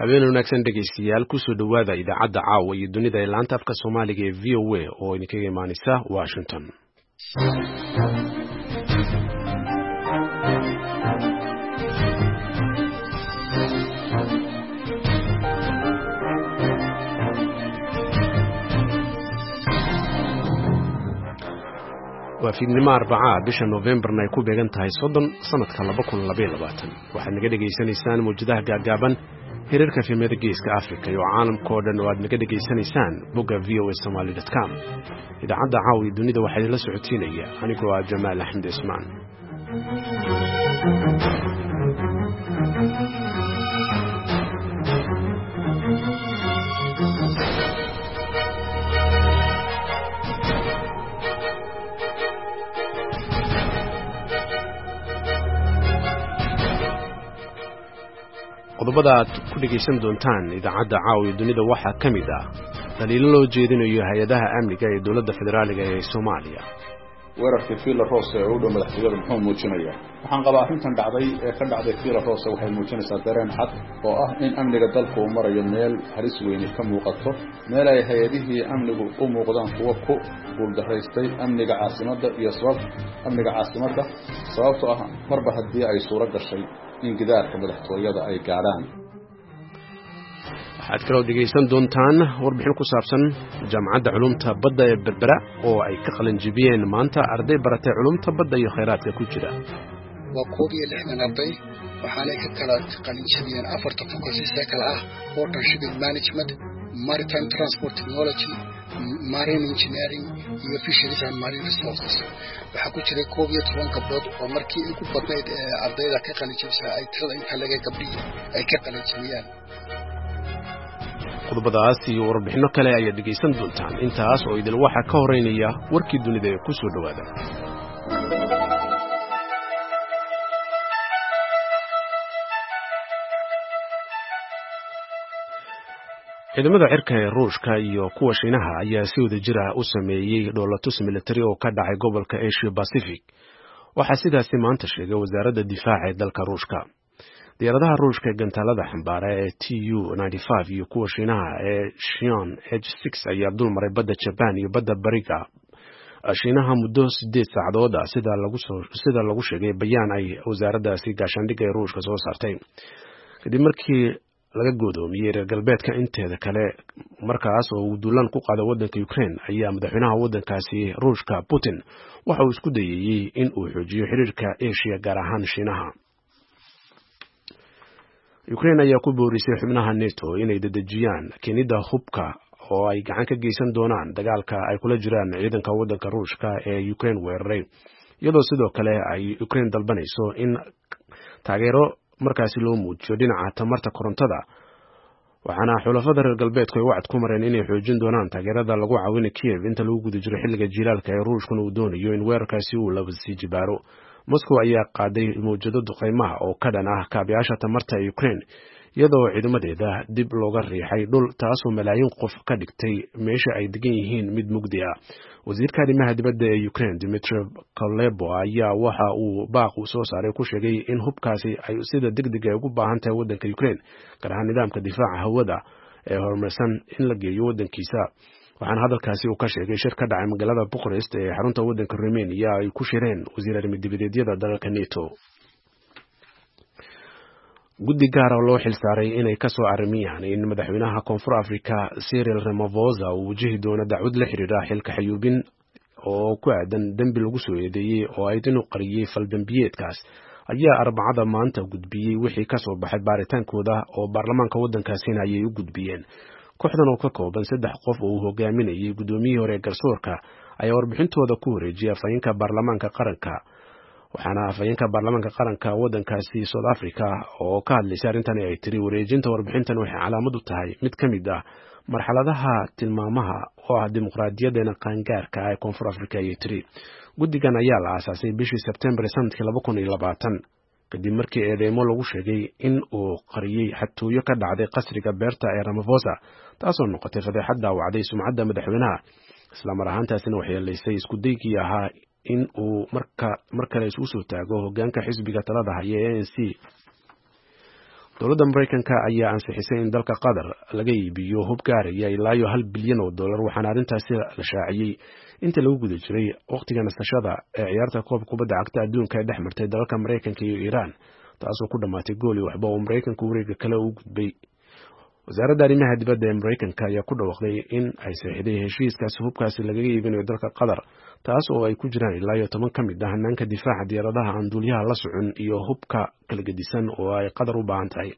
Habeen wanaagsan dhegaystayaal, kusoo dhowaada idaacadda caawa iyo dunida ee laanta afka Soomaaliga ee VOA oo idinkaga imaanaysa Washington. Waa fiidnimo Arbacaa, bisha Noofembarna ay ku beegan tahay 30 sanadka 2022. Waxaad naga dhegaysanaysaan mawjadaha gaagaaban, hirarka fiimada Geeska Africa iyo caalamka oo dhan oo aad naga dhegaysanaysaan bogga voasomaly.com. Idaacadda caawa iyo dunida waxaa idinla socotiinaya anigoo ah Jamaal Axmed Cismaan. Qodobada aad ku dhegaysan doontaan idaacadda caawa iyo dunida waxaa ka mid ah daliilo loo jeedinayo hay-adaha amniga ee dowladda federaaliga ee Soomaaliya. Weerarkii Villa Rose ee u dhow madaxtooyada muxuu muujinayaa? Waxaan qabaa arrintan dhacday ee ka dhacday Villa Rose waxay muujinaysaa dareen cad oo ah in amniga dalku uu marayo meel halis weyni ka muuqato, meel ay hay-adihii amnigu u muuqdaan kuwo ku guuldaraystay amniga caasimadda iyo sabab amniga caasimadda, sababtoo ah marba haddii ay suuro gashay in gidaarka madaxtooyada ay gaadhaan. Waxaad kaloo dhegaysan doontaan warbixin ku saabsan Jaamacadda Culumta Badda ee Berbera oo ay ka qalinjibiyeen maanta arday baratay culumta badda iyo khayraadka ku jira. Waa 61 arday, waxaanay ka kala qalinjabiyeen afarta faculties ee kala ah Port and Shipping Management, Maritime Transport Technology, Marine Engineering iyo Fisheries and Marine Resources. Waxaa ku jiray 11 gabdhood oo markii ugu badnayd ee ardayda ka qalinjabisa ay tirada inta laga gabdhihii ay ka qalinjabiyaan. Qodobadaas iyo warbixinno kale ayaad dhegaysan doontaan. Intaas oo idil waxaa ka horeynaya warkii dunida ee ku soo dhowaada. Ciidamada cirka ee Ruushka iyo kuwa Shiinaha ayaa si wada jir ah u sameeyey dhoolatus militari oo ka dhacay gobolka Asia Pacific. Waxaa sidaasi maanta sheegay wasaaradda difaaca ee dalka Ruushka. Diyaaradaha Ruushka ee gantaalada xambaara ee Tu iyo kuwa Shiinaha ee Shion H ayaa dulmaray badda Jabaan iyo badda bariga Shiinaha muddo 8 saacadood ah, sida lagu sheegay bayaan ay wasaaraddaasi gaashaandhigga ee Ruushka soo saartay, kadib markii laga goodoomiyey reer galbeedka inteeda kale markaas oo uu duulaan ku qaado waddanka Ukraine. Ayaa madaxweynaha waddankaasi Ruushka Putin waxa uu isku dayayey in uu xoojiyo xiriirka Asia, gaar ahaan Shiinaha. Ukraine ayaa ku boorisay xubnaha NATO inay dedejiyaan keenida hubka oo ay gacan ka geysan doonaan dagaalka ay kula jiraan ciidanka waddanka Ruushka ee Ukraine weeraray, iyadoo sidoo kale ay Ukraine dalbanayso in taageero markaasi loo muujiyo dhinaca tamarta korontada. Waxaana xulafada reer galbeedku ay wacad ku mareen inay xoojin doonaan taageerada lagu caawina Kiev inta lagu guda jiro xilliga jiilaalka ee Ruushkuna uu doonayo in weerarkaasi uu laba sii jibaaro. Moscow ayaa qaaday mawjado duqeymaha oo ka dhan ah kaabayaasha tamarta ee Ukraine, iyadoo ciidamadeeda dib looga riixay dhul, taasoo malaayiin qof ka dhigtay meesha ay degan yihiin mid mugdi ah. Wasiirka arrimaha dibadda ee Ukraine Dmitry Kuleba ayaa waxa uu baaq uu soo saaray ku sheegay in hubkaasi ay sida degdeg ay ugu baahan tahay waddanka Ukraine, gaar ahaan nidaamka difaaca hawada ee horumarsan, in la geeyo waddankiisa. Waxaana hadalkaasi uu ka sheegay shir ka dhacay magaalada Bucharest ee xarunta waddanka Romania ay ku shireen wasiir arrimo-dibadeedyada dalalka NATO. Guddi gaar oo loo xilsaaray inay ka soo arrimiyaan in madaxweynaha Koonfur Africa Cyril Ramaphosa uu wajihi doono dacwad la xiriira xilka xayuubin oo ku aadan dembi lagu soo eedeeyey oo ayd inuu qariyey faldembiyeedkaas ayaa Arbacada maanta gudbiyey wixii ka soo baxay baaritaankooda oo baarlamaanka waddankaasina ayay u gudbiyeen. Kooxdan oo ka kooban saddex qof oo uu hogaaminayay guddoomiyihii hore ee garsoorka ayaa warbixintooda ku wareejiyay afhayeenka baarlamaanka qaranka. Waxaana afhayeenka baarlamaanka qaranka waddankaasi South Africa oo ka hadlaysay arrintani ay tiri: "Wareejinta warbixintan waxay calaamad u tahay mid ka mid ah marxaladaha tilmaamaha oo ah dimuqraadiyadeena qaangaarka ah ee Koonfur Africa," ayay tiri. Guddigan ayaa la aasaasay bishii Sebtembar sanadkii 2020, kadib markii eedeymo lagu sheegay in uu qariyey xatooyo ka dhacday qasriga beerta ee Ramaphosa, taasoo noqotay fadeexad daawacday sumcadda madaxweynaha, islamar ahaantaasina waxyeelaysay isku daygii ahaa in uu mar kale isugu soo taago hoggaanka xisbiga talada haya ee ANC. Dowladda Maraykanka ayaa ansixisay in dalka Qatar laga iibiyo hub gaaraya ilaa iyo $1 bilyan, waxaana arrintaasi la shaaciyey inta lagu guda jiray wakhtiga nasashada ee ciyaarta koob kubadda cagta adduunka ee dhex martay dalalka Maraykanka iyo Iiraan, taasoo ku dhammaatay gool iyo waxba oo Maraykanku wareega kale u gudbay. Wasaaradda arrimaha dibadda ee Maraykanka ayaa ku dhawaaqday in ay saxiixday heshiiskaasi hubkaasi lagaga iibinayo dalka Qatar, taas oo ay ku jiraan ilaa iyo 10 ka mid ah hanaanka difaaca diyaaradaha aan duuliyaha la socon iyo hubka kala gedisan oo ay Qatar u baahan tahay.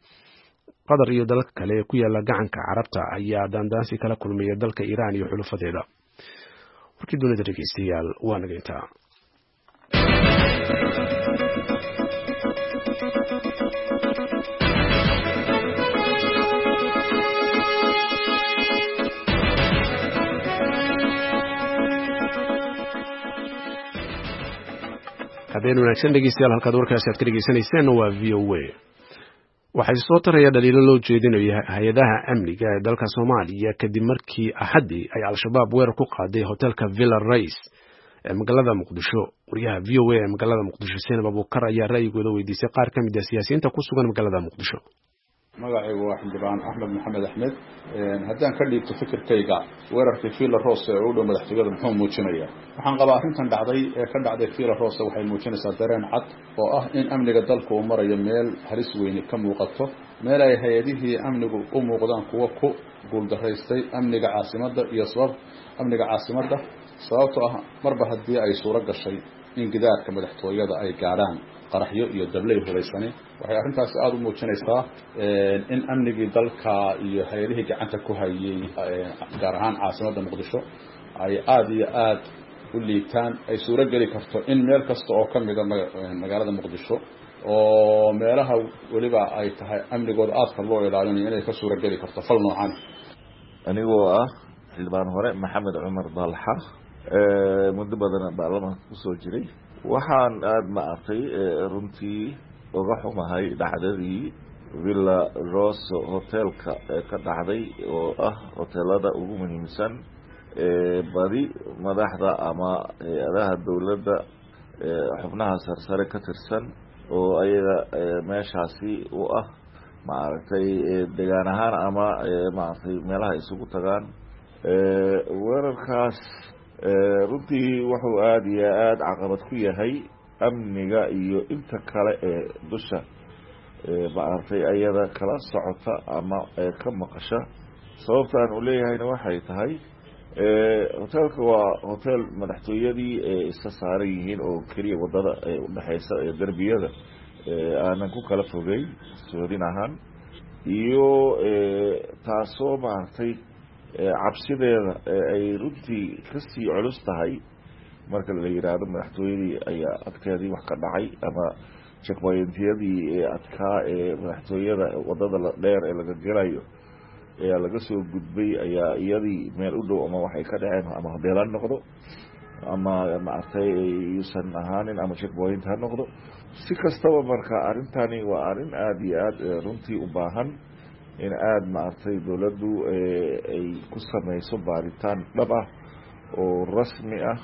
Qatar iyo dalalka kale ee ku yaala Gacanka Carabta ayaa daandaansi kala kulmaya dalka Iiraan iyo xulufadeeda. Warkii dunida, dhegeystayaal, waa naga intaa. Habeen wanaagsan, dhegeystayaal. Halkaad warkaasi aad ka dhegeysanayseen waa VOA. Waxay soo taraya dhaliilo loo jeedinayo hay-adaha amniga ee dalka Soomaaliya kadib markii Axaddii ay Al-Shabaab weerar ku qaaday hotelka Villa Rice ee magaalada Muqdisho. Wariyaha VOA ee magaalada Muqdisho, Senab Abuukar, ayaa ra'yigooda weydiisay qaar ka mid ah siyaasiyiinta ku sugan magaalada Muqdisho. Magacaygu waa xildhibaan Axmed Maxamed Axmed. Haddaan ka dhiibto fikirkayga, weerarkii Villa Rose ee u dhow madaxtooyada muxuu muujinayaa? Waxaan qabaa arrintan dhacday ee ka dhacday Villa Rose waxay muujinaysaa dareen cad oo ah in amniga dalku uu marayo meel halis weyni ka muuqato, meel ay hay-adihii amnigu u muuqdaan kuwo ku guuldaraystay amniga caasimadda iyo sabab amniga caasimadda, sababtoo ah marba haddii ay suuro gashay in gidaarka madaxtooyada ay gaadhaan qaraxyo iyo dabley hubaysani, waxay arrintaasi aada u muujinaysaa in amnigii dalka iyo hay-adihii gacanta ku hayay, gaar ahaan caasimadda Muqdisho, ay aada iyo aada u liitaan, ay suuro geli karto in meel kasta oo ka mida magaalada Muqdisho, oo meelaha weliba ay tahay amnigooda aadka loo ilaalinayo, inay ka suuro geli karto fal noocan. Anigoo ah xildhibaan hore Maxamed Cumar Dalxa, muddo badan baarlamaanka kusoo jiray, waxaan aada ma artay runtii uga xumahay dhacdadii Villa Roso hotelka ee ka dhacday, oo ah hotelada ugu muhiimsan ee badi madaxda ama hay-adaha dowladda xubnaha sarsare ka tirsan oo ayaga meeshaasi u ah maaragtay degaan ahaan ama maaragtay meelaha isugu tagaan. Weerarkaas runtii wuxuu aada iyo aada caqabad ku yahay amniga iyo inta kale ee dusha maaragtay ayada kala socota ama ka maqasha. Sababta aan u leeyahayna waxay tahay, hotelka waa hotel madaxtooyadii ee iska saaran yihiin oo keliya wadada ee udhexeysa ee derbiyada aanan ku kala fogeyn soodin ahaan iyo taasoo maaragtay cabsideeda ay runtii kasii culus tahay marka la yiraahdo madaxtooyadii ayaa adkeedii wax ka dhacay ama checkpointiyadii ee adkaa ee madaxtooyada wadada dheer ee laga gelayo ayaa laga soo gudbay, ayaa iyadii meel u dhow ama waxay ka dhaceen, ama hodeel ha noqdo ama maaragtay yuusan ahaanin ama checkpoint ha noqdo, si kastaba. Marka arrintani waa arrin aada iyo aada runtii u baahan in aada maaragtay dowladdu ay ku sameyso baaritaan dhab ah oo rasmi ah.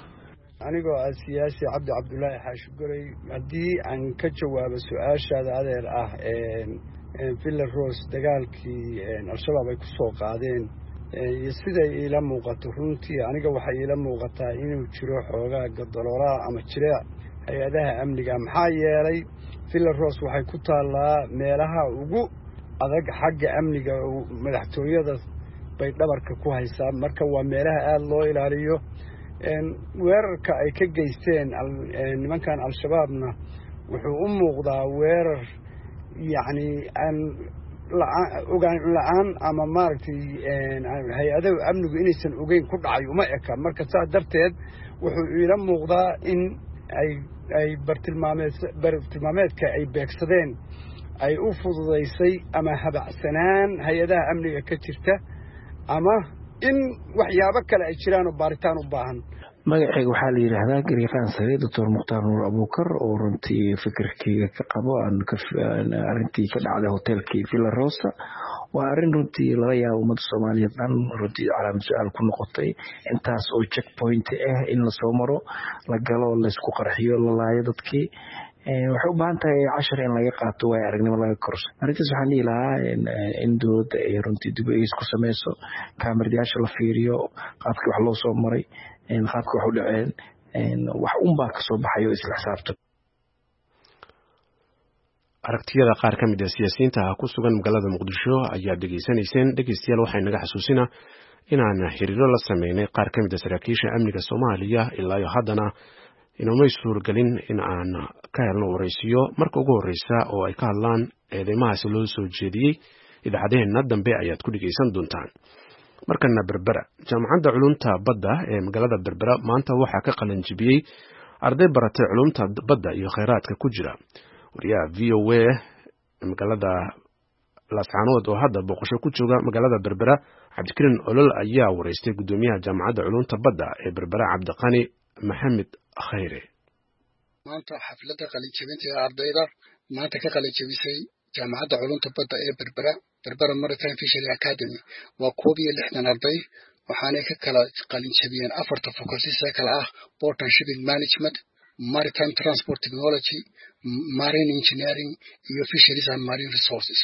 Anigoo ah siyaasi Cabdi Cabdulaahi Xaashi Gorey, haddii aan ka jawaabo su-aashaada, adeer, ah Villa Rose dagaalkii Al-Shabaab ay ku soo qaadeen iyo siday iila muuqato, runtii aniga waxay iila muuqataa inuu jiro xoogaa gadaloolaha ama jireec hay-adaha amniga, maxaa yeelay Villa Rose waxay ku taallaa meelaha ugu adag xagga amniga. Madaxtooyada bay dhabarka ku haysaa, marka waa meelaha aada loo ilaaliyo. Weerarka ay ka geysteen nimankan Al-Shabaabna wuxuu u muuqdaa weerar yacni aan ogaan la-aan ama maaragtay hay-adaha amnigu inaysan ogeyn ku dhacay uma eka. Marka saas darteed wuxuu iila muuqdaa in ay bartilmaameedka ay beegsadeen ay u fududaysay ama habacsanaan hay-adaha amniga ka jirta ama in waxyaabo kale ay jiraan oo baaritaan u baahan. Magacayga waxaa la yidhaahdaa Garyaqaan Sare Doctor Mukhtaar Nuur Abuukar, oo runtii fikirkeyga ka qabo arrintii ka dhacday hotelkii Villa Rosa. Waa arrin runtii laga yaabo ummadda Soomaaliyeed dhan runtii calaamad su-aal ku noqotay, intaas oo checkpoint ah in lasoo maro, la galo, laysku qarxiyo, la laayo dadkii. Waxay u baahan tahay cashar in laga qaato, waayo aragnimo laga korso. Arrintaas waxaan dhihi lahaa in dowladda ay runtii dib u eegis ku sameyso, kaamiradayaasha la fiiriyo, qaabkii wax loo soo maray, qaabkii wax u dhaceen, wax unbaa kasoo baxayo isla xisaabtan. Aragtiyada qaar ka mid ah siyaasiyiinta ku sugan magaalada Muqdisho ayaad dhegeysanayseen. Dhegeystayaal, waxay naga xasuusinaa inaan xiriiro la sameynay qaar ka mid ah saraakiisha amniga Soomaaliya, ilaa iyo haddana inoomay suuragelin in aan ka helno waraysiyo. Marka ugu horreysa oo ay ka hadlaan eedeymahaasi loo soo jeediyey, idaacadaheenna dambe ayaad ku dhegeysan doontaan. Markana Berbera. Jaamacadda Culumta Badda ee magaalada Berbera maanta waxaa ka qalinjibiyey arday baratay culumta badda iyo kheyraadka ku jira. Wariyaha VOA magaalada Laascaanood oo hadda booqasho ku jooga magaalada Berbera, Cabdikariin Olol, ayaa wareystay guddoomiyaha Jaamacadda Culumta Badda ee Berbera, Cabdiqani Maxamed Khayre. Maanta xafladda qalinjabinta ee ardayda maanta ka qalinjabisay Jaamacadda Culumta Badda ee Berbera, Berbera Maritime Fishery Academy, waa 61 arday, waxaanay ka kala qalinjabiyeen afarta faculties ee kala ah Port and Shipping Management, Maritime Transport Technology, Marine Engineering iyo Fisheries and Marine Resources.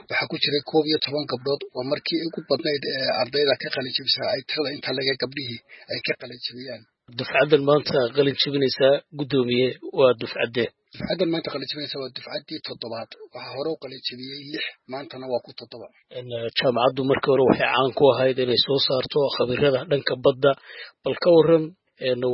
Waxaa ku jiray 11 gabdhood. Waa markii ugu badnayd ee ardayda ka qalinjabisa ay tirada inta laga gabdhihii ay ka qalinjabiyaan. Dufcaddan maanta qalin jabinaysaa, guddoomiye, waa dufcaddee? Dufcaddan maanta qalin jabinaysa waa dufcaddii toddobaad. Waxaa hore u qalin jabiyey lix, maantana waa ku toddoba. Jaamacaddu markii hore waxay caan ku ahayd inay soo saarto khabirada dhanka badda. Bal ka waran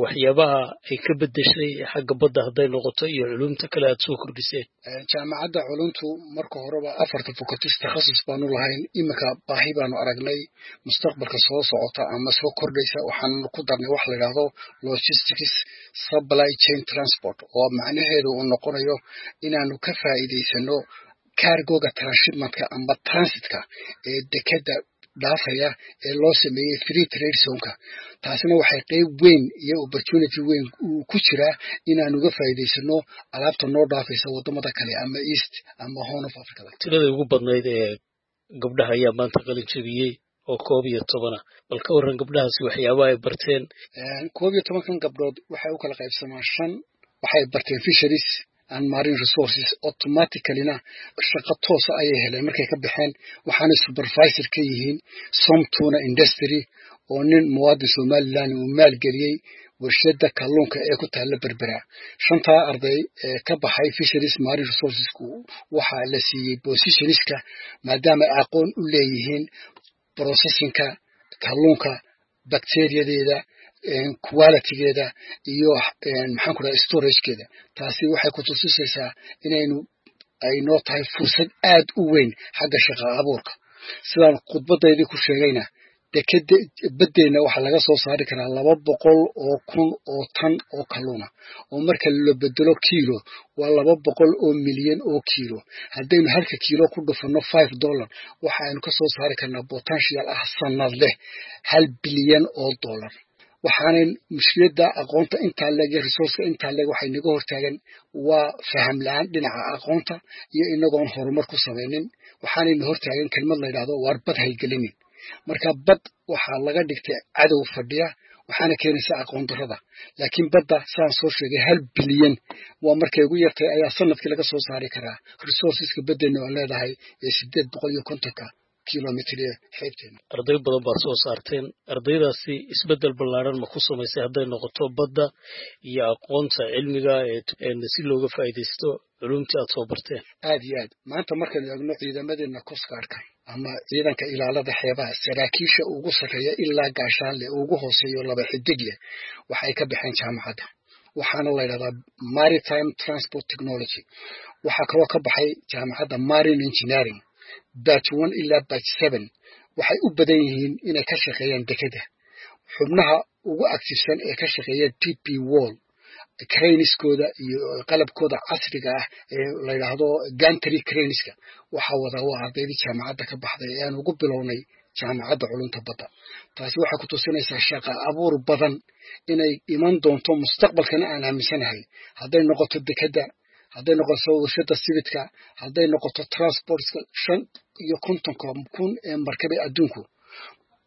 waxyaabaha ay ka bedeshay xagga badda hadday noqoto iyo culumta kale aad soo kordhiseen? Jaamacadda culumtu marka horeba afarta faculties takhasus baanu lahayn. Iminka baahi baanu aragnay mustaqbalka soo socota ama soo kordhaysa, waxaanu ku darnay wax la yidhaahdo logistics, supply chain, transport, oo macnaheedu uu noqonayo inaanu ka faa'iidaysano cargoga transshipmentka ama transitka ee dekeda dhaafaya ee loo sameeyey free trade zoneka. Taasina waxay qeyb weyn iyo opportunity weyn uu ku jiraa inaanu uga faa'iidaysano alaabta noo dhaafaysa waddamada kale ama East ama Horn of Africa. Tiradii ugu badnayd ee gabdhaha ayaa maanta qalin jabiyey oo 11 ah. Bal ka warran gabdhahaasi waxyaabaha ay barteen? 11-kan gabdhood waxay u kala qaybsamaan shan. Waxay barteen fisheries and marine resources, automaticallyna shaqo toosa ayay heleen markay ka baxeen, waxaanay supervisor ka yihiin Somtuna Industry, oo nin muwaadin Somaliland uu maalgeliyey warshadda kalluunka ee ku taalla Berbera. Shantaa arday ee ka baxay fisheries marine resourcesku waxaa la siiyey positionska maadaama ay aqoon u leeyihiin processingka kalluunka, bacteriadeeda, qualitygeeda iyo, maxaan ku dhaha, storagekeeda. Taasi waxay ku tusisaysaa inaynu ay noo tahay fursad aad u weyn xagga shaqa abuurka. Sidaan khudbadaydii ku sheegayna, dekeda baddeenna waxaa laga soo saari karaa 200,000 oo tan oo kalluuna, oo marka la bedelo kiilo waa 200 milyan oo kiilo. Haddaynu halka kiilo ku dhufano $5, waxaaynu ka soo saari karnaa potential ah sanad leh $1 bilyan. Waxaanay mushkiladda aqoonta intaa leeg iyo resourceka intaa leeg waxay naga hortaagan waa faham la-aan dhinaca aqoonta iyo inagoon horumar ku samaynin. Waxaanayna hortaagan kelmad la yidhahdo "waar bad haygelinin". Marka bad waxaa laga dhigtay cadow fadhiya, waxaana keenaysa aqoon darrada. Laakiin badda, saan soo sheegay, 1 bilyan waa markay ugu yartay ayaa sanadkii laga soo saari karaa resourceska baddeena oo leedahay ee 850-ka kilomitr ee xeebteena. Arday badan baad soo saarteen. Ardaydaasi isbeddel ballaaran ma ku samaysay hadday noqoto badda iyo aqoonta cilmiga ee si looga faa'iidaysto culumtii aad soo barteen? Aad iyo aad. Maanta markaynu eegno ciidamadeena coastguardka ama ciidanka ilaalada xeebaha, saraakiisha ugu sarreeya ilaa gaashaanle ugu hooseeyo laba xidig leh waxay ka baxeen jaamacadda, waxaana la yidhahdaa maritime transport technology. Waxaa kaloo ka baxay jaamacadda marine engineering, batch 1 ilaa batch 7. Waxay u badan yihiin inay ka shaqeeyaan dekeda. Xubnaha ugu activesan ee ka shaqeeya DP World, craneskooda iyo qalabkooda casriga ah ee la yidhaahdo gantry craneska waxaa wadaa waa ardaydii jaamacadda ka baxday ee aan ugu bilownay Jaamacadda Culunta Badda. Taasi waxay ku tusinaysaa shaqa abuur badan inay iman doonto mustaqbalkana aan aaminsanahay, hadday noqoto dekadda, hadday noqoto warshada sibidka, hadday noqoto transportka. 55,000 ee markabe adduunku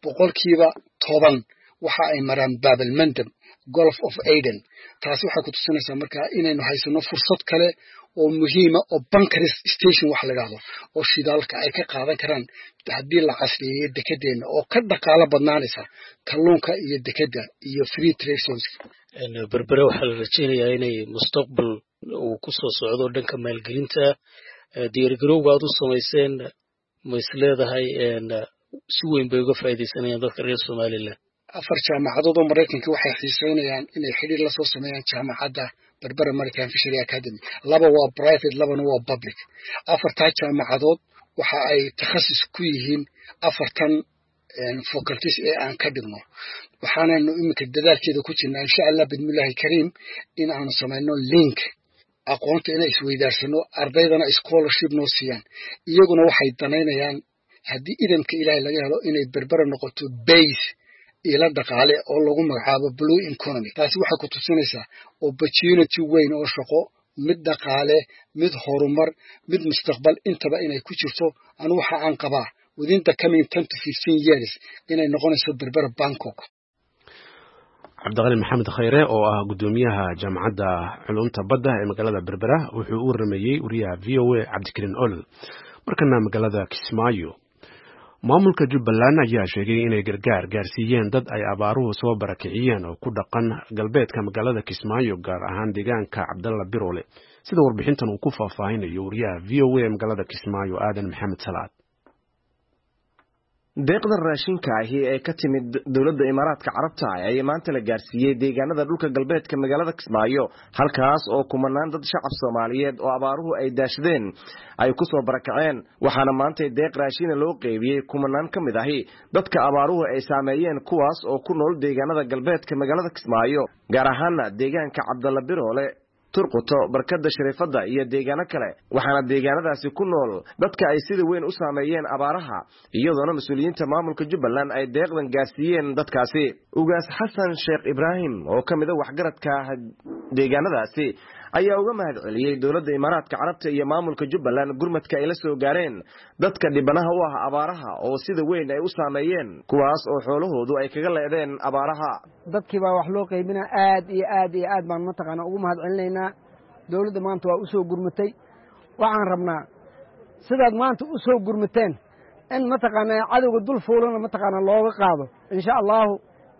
10% Waxa ay maraan Baabalmandab, Gulf of Aden. Taasi waxay ku tusinaysaa markaa inaynu haysano fursad kale oo muhiima oo bunkering station waxa la idhahdo oo shidaalka ay ka qaadan karaan haddii la casriyeeyo dekedeenna, oo ka dhaqaalo badnaanaysa kalluunka iyo dekedda iyo free trade zones. Berbere waxaa la rajaynayaa inay mustaqbal uu ku soo socdo dhanka maalgelinta. Diyaargarowga aad u samayseen, ma is leedahay si weyn bay uga faa'iidaysanayaan dadka reer Somaliland? Afar jaamacadood oo Maraykanka waxay xiiseynayaan inay xidhiir la soo sameeyaan jaamacadda Berbera Maritime Fishery Academy. Laba waa private, labana waa public. Afartaa jaamacadood waxa ay takhasus ku yihiin afartan faculties ee aan ka dhigno. Waxaanaynu iminka dadaalkeeda ku jirnaa, insha Allah bidmillahi kariim, in aanu samayno link aqoonta inay isweydaarsano, ardaydana scholarship noo siiyaan. Iyaguna waxay danaynayaan, haddii idamka Ilaahay laga helo, inay Berbera noqoto base ila dhaqaale oo lagu magacaabo blue economy. Taasi waxay ku tusinaysaa opportunity weyn oo shaqo, mid dhaqaale, mid horumar, mid mustaqbal intaba inay ku jirto. Anu waxa aan qabaa within the coming 10 to 15 years inay noqonayso Berbera Bangkok. Cabdiqani Maxamed Khayre oo ah guddoomiyaha Jaamacadda Culumta Badda ee magaalada Berbera wuxuu u waramayey wariyaha VOA Cabdikariin Olol. Markana magaalada Kismaayo, maamulka Jubbaland ayaa sheegay inay gargaar gaarsiiyeen dad ay abaaruhu soo barakiciyeen oo ku dhaqan galbeedka magaalada Kismaayo, gaar ahaan deegaanka Cabdalla Biroole, sida warbixintan uu ku faahfaahinayo wariyaha VOA magaalada Kismaayo, Aadan Maxamed Salaad. Deeqda raashinka ahi ee ka timid dowladda Imaaraadka Carabta ayaa maanta la gaarsiiyey deegaanada dhulka galbeedka magaalada Kismaayo, halkaas oo kumanaan dad shacab Soomaaliyeed oo abaaruhu ay daashadeen ay ku soo barakaceen. Waxaana maanta deeq raashina loo qeybiyey kumanaan ka mid ahi dadka abaaruhu ay saameeyeen, kuwaas oo ku nool deegaanada galbeedka magaalada Kismaayo, gaar ahaana deegaanka Cabdalla Biroole, Turquto, Barkada Shariifadda iyo deegaano kale. Waxaana deegaanadaasi ku nool dadka ay sida weyn u saameeyeen abaaraha, iyadoona mas-uuliyiinta maamulka Jubbaland ay deeqdan gaarsiiyeen dadkaasi. Ugaas Xasan Sheekh Ibraahim oo ka mid a waxgaradka deegaanadaasi ayaa uga mahad celiyey dowladda Imaaraadka Carabta iyo maamulka Jubbaland gurmadka ay la soo gaareen dadka dhibanaha u ah abaaraha oo sida weyn ay u saameeyeen, kuwaas oo xoolahoodu ay kaga leedeen abaaraha. Dadkii baa wax loo qaybinaa. Aad iyo aad iyo aad baan mataqaana ugu mahad celinaynaa dowladda. Maanta waa u soo gurmatay. Waxaan rabnaa sidaad maanta u soo gurmateen in mataqaanaa cadowga dul fuulana mataqaanaa looga qaado, insha Allahu,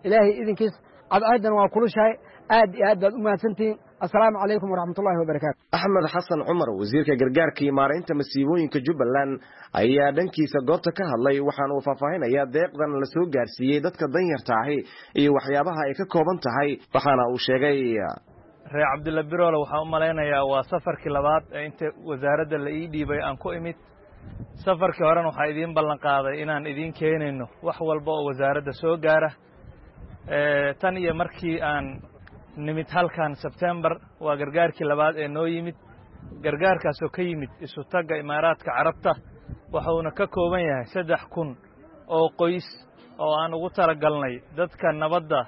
Ilaahay idinkiis. Cadceeddana waa kulushahay. Aad iyo aad baad u mahadsantihiin. Assalaamu calaykum waraxmatullahi wabarakaatu. Axmed Xasan Cumar, wasiirka gargaarka iyo maaraynta masiibooyinka Jubbaland, ayaa dhankiisa goobta ka hadlay. Waxaana uu faahfaahinayaa deeqdan la soo gaarsiiyey dadka danyarta ahi iyo waxyaabaha ay ka kooban tahay. Waxaana uu sheegay: Reer Cabdilla Biroole waxaan u malaynayaa waa safarkii labaad ee inta wasaaradda la ii dhiibay aan ku imid. Safarkii horena waxaa idiin ballan qaaday inaan idiin keenayno wax walba oo wasaaradda soo gaara. Tan iyo markii aan nimid halkan Sebtembar, waa gargaarkii labaad ee noo yimid, gargaarkaasoo ka yimid Isutagga Imaaraadka Carabta. Wuxuuna ka kooban yahay 3000 oo qoys oo aan ugu talagalnay dadka nabadda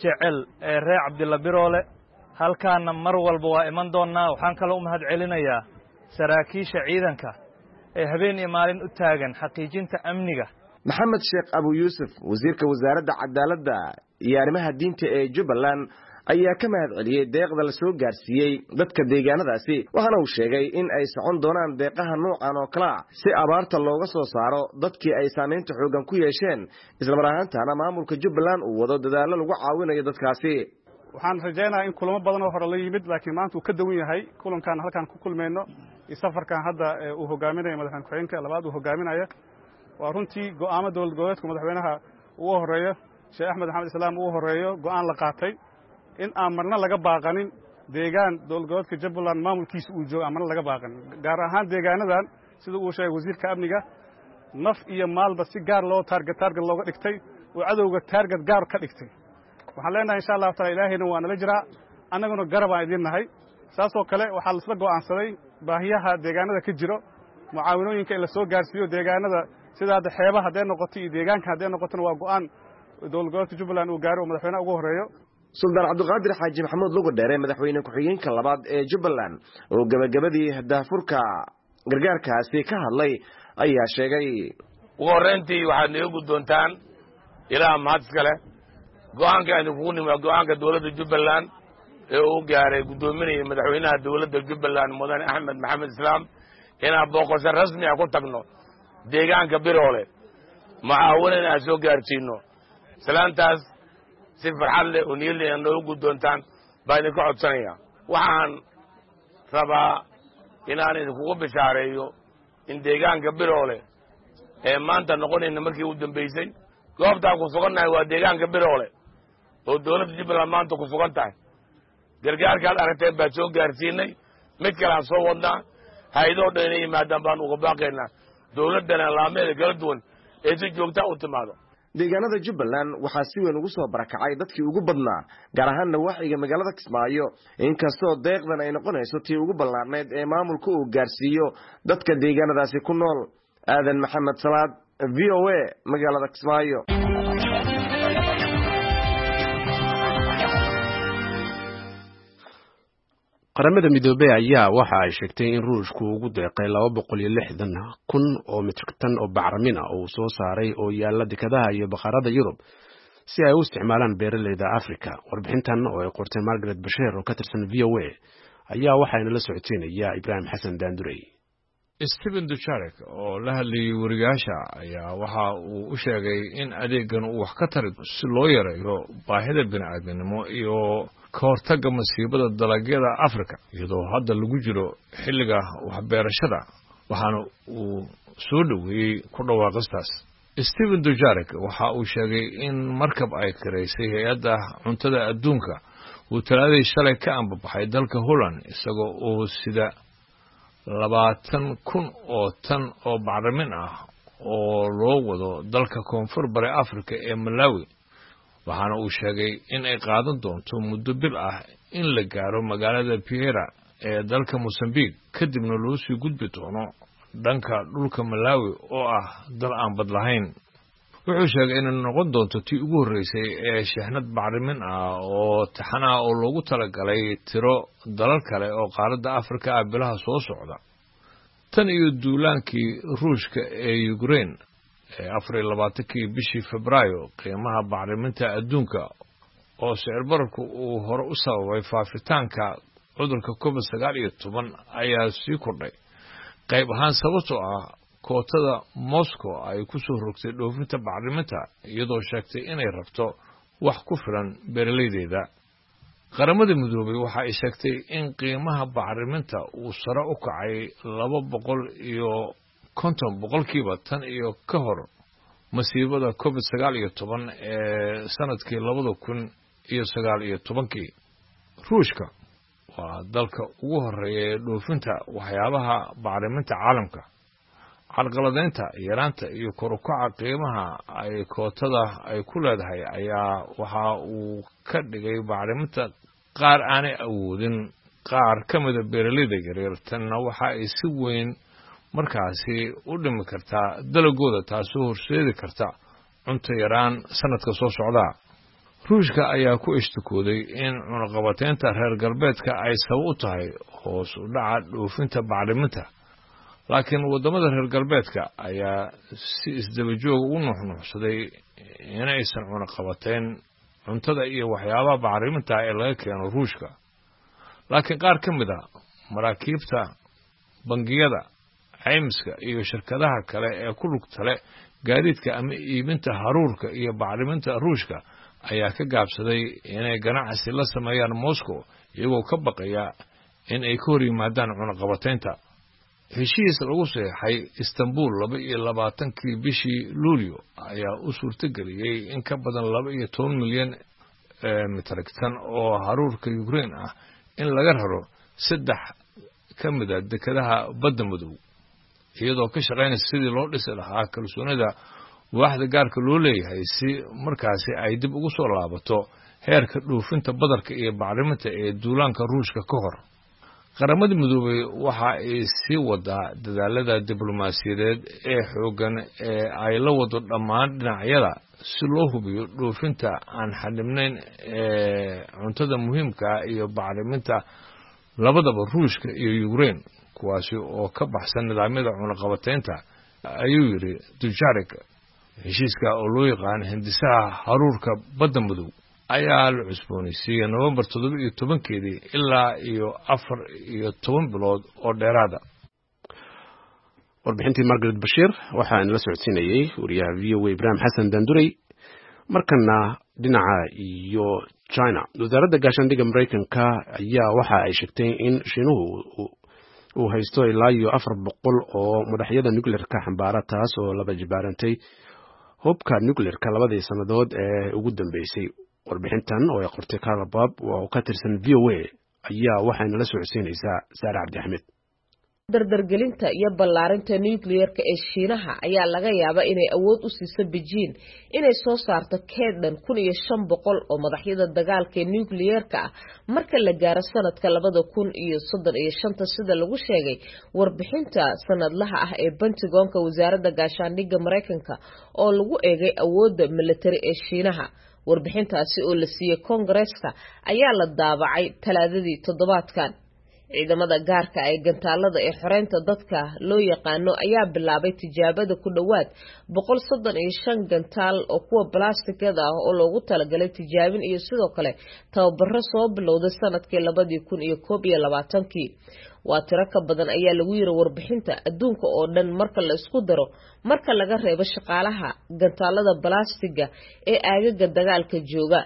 jecel ee reer Cabdilla Biroole. Halkaana mar walba waa iman doonnaa. Waxaan kaloo u mahad celinayaa saraakiisha ciidanka ee habeen iyo maalin u taagan xaqiijinta amniga. Maxamed Sheekh Abu Yuusuf, wasiirka wasaaradda cadaaladda iyo arrimaha diinta ee Jubbaland, ayaa ka mahad celiyey deeqda la soo gaarsiiyey dadka deegaanadaasi. Waxaana uu sheegay in ay socon doonaan deeqaha noocan oo kale ah si abaarta looga soo saaro dadkii ay saamaynta xooggan ku yeesheen, islamar ahaantaana maamulka Jubbaland uu wado dadaallo lagu caawinayo dadkaasi. Waxaan rajaynayaa in kulamo badan oo hore la yimid, laakiin maanta uu ka duwan yahay kulankan halkaan ku kulmayno iyo safarkan hadda uu hogaaminayo madaxweyne ku-xigeenka labaad uu hogaaminaya. Waa runtii go'aamo dowlad goboleedka madaxweynaha ugu horeeyo, Sheekh Axmed Maxamed Islaam ugu horeeyo, go'aan la qaatay in aan marna laga baaqanin deegaan dowlad goboleedka Jubbaland maamulkiisa uu joogo, aan marna laga baaqanin, gaar ahaan deegaanadan sida uu sheegay wasiirka amniga, naf iyo maalba si gaar loo target looga dhigtay oo cadowga target gaar ka dhigtay. Waxaan leenahay, insha Allahu taala, Ilaahayna waa nala jiraa, annaguna garab aan idiin nahay. Saasoo kale waxaa laisla go'aansaday baahiyaha deegaanada ka jiro, mucaawinooyinka in la soo gaarsiiyo deegaanada, sida hadda xeebaha hadday noqoto iyo deegaanka hadday noqotona. Waa go'aan dowlad goboleedka Jubbaland uu gaaro oo madaxweynaha ugu horreeyo. Suldaan Cabdiqaadir Xaaji Maxamuud Lugu Dheere, madaxweyne ku-xigeenka labaad ee Jubbaland, oo gebagabadii daahfurka gargaarkaasi ka hadlay, ayaa sheegay: Ugu horrayntii waxaad naga guddoontaan, Ilaah mahad iska leh. Go'aanka idinkugu nimi waa go'aanka dowladda Jubbaland ee uu gaaray guddoominaya madaxweynaha dowladda Jubbaland, Mudane Axmed Maxamed Islaam, inaan booqasho rasmi ah ku tagno deegaanka Biroole, mucaawanana aan soo gaarsiino. Islaantaas si farxad leh oo niyad leh noogu guddoontaan baa idinka codsanaya. Waxaan rabaa inaan idinkugu bishaareeyo in deegaanka Biroole ee maanta noqonayna markii u dambaysay goobtaan ku sugannahay waa deegaanka Biroole oo dowladda Jubbaland maanta ku sugan tahay. Gargaarkaad aragteen baan soo gaarsiinay, mid kaleaan soo wadnaa. Hay-adoo dhan inay yimaadaan baan uga baaqaynaa, dowladdana laameeda kala duwan ee si joogtaa u timaado. Deegaanada Jubbaland waxaa si weyn ugu soo barakacay dadkii ugu badnaa, gaar ahaan nawaaxiga magaalada Kismaayo, inkastoo deeqdan ay noqonayso tii ugu ballaarnayd ee maamulka uu gaarsiiyo dadka deegaanadaasi ku nool. Aadan Maxamed Salaad, VOA, magaalada Kismaayo. Qaramada Midoobey ayaa waxa ay sheegtay in Ruushku ugu deeqay 260,000 oo mitrik tan oo bacramina oo uu soo saaray oo yaalla dekadaha iyo bakhaarada Yurub si ay u isticmaalaan beeraleyda Afrika. Warbixintan oo ay qortay Margaret Basheer oo ka tirsan VOA ayaa waxaana la socoteynaya Ibraahim Xasan Daandurey. Stephen Dujarric oo la hadlayay wariyaasha ayaa waxa uu u sheegay in adeegan uu wax ka tari si loo yareeyo baahida bini'aadminimo iyo ka hortagga masiibada dalagyada Afrika, iyadoo hadda lagu jiro xilliga waxbeerashada, waxaana uu soo dhoweeyey ku dhawaaqistaas. Stephen Dujarric waxa uu sheegay in markab ay kiraysay hay-adda cuntada adduunka uu talaadii shalay ka ambabaxay dalka Holland, isagoo uu sida 20,000 oo tan oo bacrimin ah oo loo wado dalka koonfur bari Afrika ee Malawi, waxaana uu sheegay in ay qaadan doonto muddo bil ah in la gaaro magaalada Piera ee dalka Mosambik, kadibna loo sii gudbi doono dhanka dhulka Malawi oo ah dal aan bad lahayn. Wuxuu sheegay inay noqon doonto tii ugu horreysay ee shixnad bacrimin ah oo taxan ah oo loogu talagalay tiro dalal kale oo qaaradda Afrika ah bilaha soo socda. Tan iyo duulaankii Ruushka ee Ukraine ee 24-kii bishii Febraayo, qiimaha bacriminta adduunka oo sicir bararku uu hore u sababay faafitaanka cudurka COVID-19 ayaa sii kordhay, qayb ahaan sababtoo ah kootada Moscow ay ku soo rogtay dhoofinta bacriminta, iyadoo sheegtay inay rabto wax ku filan beeralaydeeda. Qaramada Midoobay waxa ay sheegtay in qiimaha bacriminta uu sare u kacay 250% tan iyo ka hor masiibada COVID-19 ee sanadkii 2019-kii. Ruushka waa dalka ugu horreeya ee dhoofinta waxyaabaha bacriminta caalamka. Carqaladaynta yaraanta iyo kor u kaca qiimaha ay kootada ay ku leedahay ayaa waxa uu ka dhigay bacriminta qaar aanay awoodin qaar ka mida beeralayda yaryar. Tanna waxa ay si weyn markaasi u dhimi kartaa dalagooda, taasoo horseedi karta cunto yaraan sanadka soo socda. Ruushka ayaa ku ishtikooday in cunaqabateynta reer galbeedka ay sabab u tahay hoos u dhaca dhoofinta bacriminta, laakiin waddamada reer galbeedka ayaa si isdaba joog ugu nuuxnuuxsaday inaysan cunaqabateyn cuntada iyo waxyaabaha bacriminta ee laga keeno Ruushka. Laakiin qaar ka mid a maraakiibta, bangiyada, caymiska iyo shirkadaha kale ee ku lugta leh gaadiidka ama iibinta haruurka iyo bacriminta Ruushka ayaa ka gaabsaday inay ganacsi la sameeyaan Moscow, iyagoo ka baqaya in ay ka hor yimaadaan cunaqabateynta. Heshiis lagu saxeexay Istanbul 22-kii bishii Luulyo ayaa u suurtageliyey in ka badan 12 milyan mitrik tan oo haruurka Ukraine ah in laga raro 3 ka mid a dekedaha badda madow, iyadoo ka shaqaynaysa sidii loo dhisi lahaa kalsoonida waaxda gaarka loo leeyahay si markaasi ay dib ugu soo laabato heerka dhoofinta badarka iyo bacriminta ee duulaanka Ruushka ka hor. Qaramada Midoobay waxa ay sii wadaa dadaalada diblomaasiyadeed ee xooggan ee ay la wado dhammaan dhinacyada si loo hubiyo dhoofinta aan xadhibnayn ee cuntada muhiimka ah iyo bacriminta labadaba Ruushka iyo Ukraine, kuwaasi oo ka baxsan nidaamyada cunaqabateynta, ayuu yidhi Dujarric. Heshiiska oo loo yaqaan hindisaha haruurka badda madow ayaa la cusboonaysiiyey Novembar 17-keedii ilaa iyo 14 bilood oo dheeraada. Warbixintii Margaret Bashiir waxaa inala socodsiinayey wariyaha VOA Ibraahim Xasan Daandurey. Markana dhinaca iyo China, wasaaradda gaashaandhigga Maraykanka ayaa waxa ay sheegtay in Shiinuhu uu haysto ilaa iyo 400 oo madaxyada nuclearka xambaara, taas oo laba jibaarantay hubka nuclearka labadii sannadood ee ugu dambeysay. Warbixintan oo ay qortay Carla Bob oo ka tirsan VOA ayaa waxayna la socodsiinaysaa Saare Cabdi Axmed. Dardargelinta iyo ballaarinta nuclearka ee Shiinaha ayaa laga yaabaa inay awood u siiso Beijing inay soo saarto keed dhan 1500 oo madaxyada dagaalka ee nuclearka ah marka la gaaro sanadka 2035, sida lagu sheegay warbixinta sanadlaha ah ee Pentagon-ka wasaaradda gaashaandhigga Mareykanka oo lagu eegay awoodda militari ee Shiinaha. Warbixintaasi oo la siiyey Koongareeska ayaa la daabacay Talaadadii toddobaadkan. Ciidamada gaarka ee gantaalada ee xoreynta dadka loo yaqaano ayaa bilaabay tijaabada ku dhowaad 135 gantaal oo kuwa balaastikada ah oo loogu talagalay tijaabin iyo sidoo kale tababaro soo bilowday sanadkii 2021-kii. Waa tiro ka badan ayaa lagu yiri warbixinta adduunka oo dhan marka la isku daro, marka laga reebo shaqaalaha gantaalada balaastiga ee aagaga dagaalka jooga.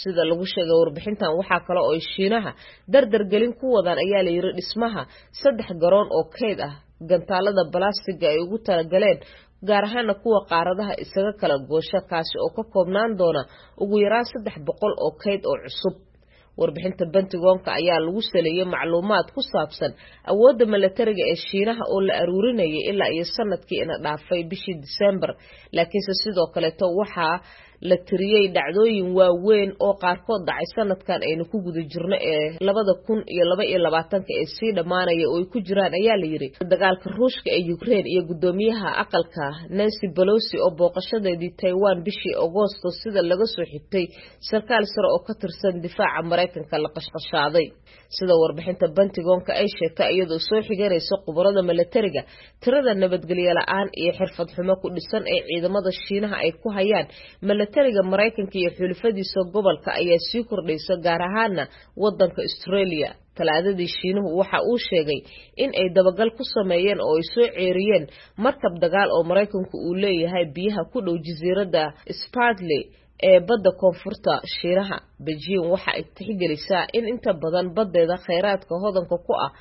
Sida lagu sheegay warbixintan, waxaa kale oo ay Shiinaha dardargelin ku wadaan ayaa la yiri dhismaha 3 garoon oo keyd ah gantaalada balaastiga ay ugu talagaleen, gaar ahaana kuwa qaaradaha isaga kala goosha, kaasi oo ka koobnaan doona ugu yaraan 300 oo keyd oo cusub. Warbixinta Pentagon-ka ayaa lagu saleeyay macluumaad ku saabsan awoodda milatariga ee Shiinaha oo la aruurinayay ilaa iyo sanadkii ina dhaafay bishii Diseembar, laakiinse sidoo kaleeto waxaa la tiriyey dhacdooyin waaweyn oo qaarkood dhacay sanadkan aynu ku guda jirno ee 2022-ka ee sii dhammaanaya oo ay ku jiraan ayaa la yiri dagaalka Ruushka ee Ukraine iyo guddoomiyaha aqalka Nancy Pelosi oo booqashadeedii Taiwan bishii Agoosto, sida laga soo xigtay sarkaal sare oo ka tirsan difaaca Mareykanka, la qashqashaaday. Sida warbixinta Pentagon-ka ay sheegtay iyadoo soo xiganaysa khubarada milatariga, tirada nabadgelyo la'aan iyo xirfad xumo ku dhisan ee ciidamada Shiinaha ay ku hayaan milatariga Mareykanka iyo xulafadiisa gobolka ayaa sii kordhaysa, gaar ahaana wadanka Australia. Talaadadii Shiinuhu waxa uu sheegay in ay dabagal ku sameeyeen oo ay soo ceeriyeen markab dagaal oo Mareykanku uu leeyahay biyaha ku dhow jasiiradda Spratly ee badda koonfurta Shiinaha. Beijing waxa ay tixgelisaa in inta badan baddeeda kheyraadka hodanka ku ah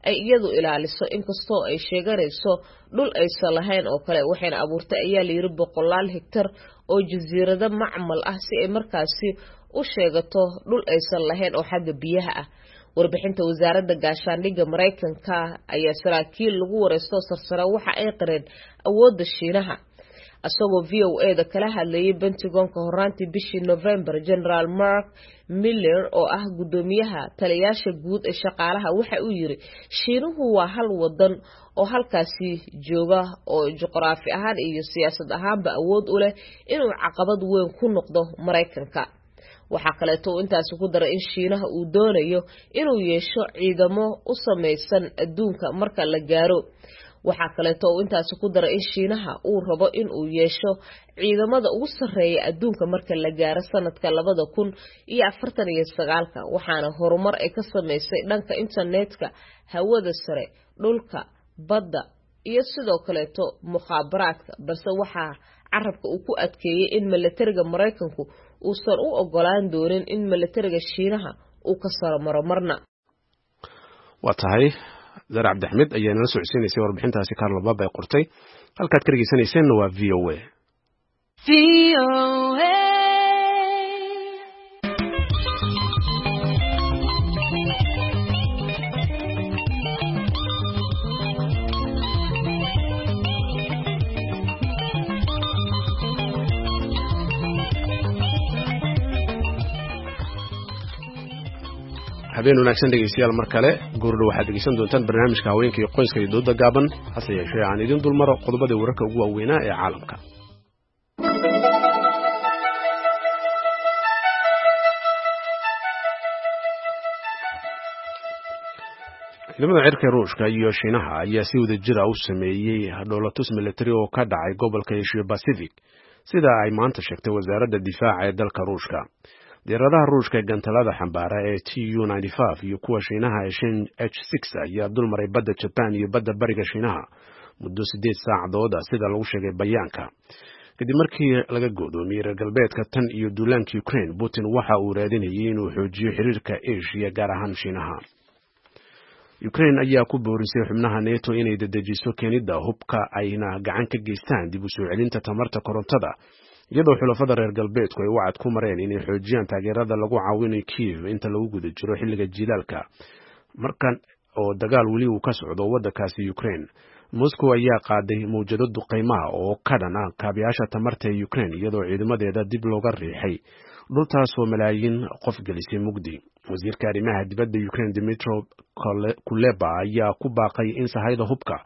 ay iyadu ilaaliso, inkastoo ay sheeganayso dhul aysan lahayn oo kale, waxayna abuurtay ayaa la yiri boqolaal hektar oo jasiirado macmal ah si ay markaasi u sheegato dhul aysan lahayn oo xagga biyaha ah. Warbixinta wasaaradda gaashaandhigga Mareykanka ayaa saraakiil lagu wareysto sarsare waxa ay qireen awoodda Shiinaha. Isagoo VOA da kala hadlayay Pentagon-ka horaantii bishii November, General Mark Miller oo ah guddoomiyaha taliyayaasha guud ee shaqaalaha waxa uu yiri Shiinuhu waa hal wadan oo halkaasi jooga oo juqraafi ahaan iyo siyaasad ahaanba awood u leh inuu caqabad weyn ku noqdo Mareykanka. Waxaa kaleeto uu intaasi ku daray in Shiinaha uu doonayo inuu yeesho ciidamo u samaysan adduunka marka la gaaro. Waxaa kaleeto uu intaasi ku daray in Shiinaha uu rabo in uu yeesho ciidamada ugu sarreeya adduunka marka la gaaro sanadka 2049-ka, waxaana horumar ay ka samaysay dhanka internetka, hawada sare, dhulka, badda iyo sidoo kaleeto mukhaabaraadka, balse waxaa carabka uu ku adkeeyey in milatariga Mareykanku uusan u ogolaan doonin in milatariga Shiinaha uu ka saro maro marna. Waa tahay, Zara Cabdixmed ayaa nala socodsiinaysay warbixintaasi Carlo Bab ay qortay. Halkaad ka dhegeysanayseena waa VOA. Habeen wanaagsan dhegeystayaal mar kale. Goordhow waxaad dhegeysan doontaan barnaamijka haweenka iyo qoyska iyo dooda gaaban, hase yeeshee aan idin dulmaro qodobadii wararka ugu waaweynaa ee caalamka. Ciidamada cirka Ruushka iyo Shiinaha ayaa si wada jira u sameeyey dhoolatus militari oo ka dhacay gobolka Asia Pacific, sida ay maanta sheegtay wasaaradda difaaca ee dalka Ruushka. Diyaaradaha Ruushka ee gantalada xambaara ee Tu 95 iyo kuwa Shiinaha ee Shin H6 ayaa dulmaray badda Jaban iyo badda bariga Shiinaha muddo 8 saacadood ah, sida lagu sheegay bayaanka. Kadib markii laga go'doomiyey reer galbeedka tan iyo duulaanka Ukraine, Putin waxa uu raadinayay inuu xoojiyo xiriirka Asia, gaar ahaan Shiinaha. Ukraine ayaa ku boorisay xubnaha NATO inay dedejiso keenidda hubka ayna gacan ka geystaan dib u soo celinta tamarta korontada, iyadoo xulafada reer galbeedku ay wacad ku mareen inay xoojiyaan taageerada lagu caawinayo Kiev inta lagu guda jiro xilliga jiilaalka, markan oo dagaal weli uu ka socdo waddankaasi Ukraine. Moscow ayaa qaaday mawjado duqaymaha oo ka dhan ah kaabayaasha tamarta ee Ukraine, iyadoo ciidamadeeda dib looga riixay dhultaasoo malaayiin qof gelisay mugdi. Wasiirka arrimaha dibadda Ukraine Dmytro Kuleba ayaa ku baaqay in sahayda hubka,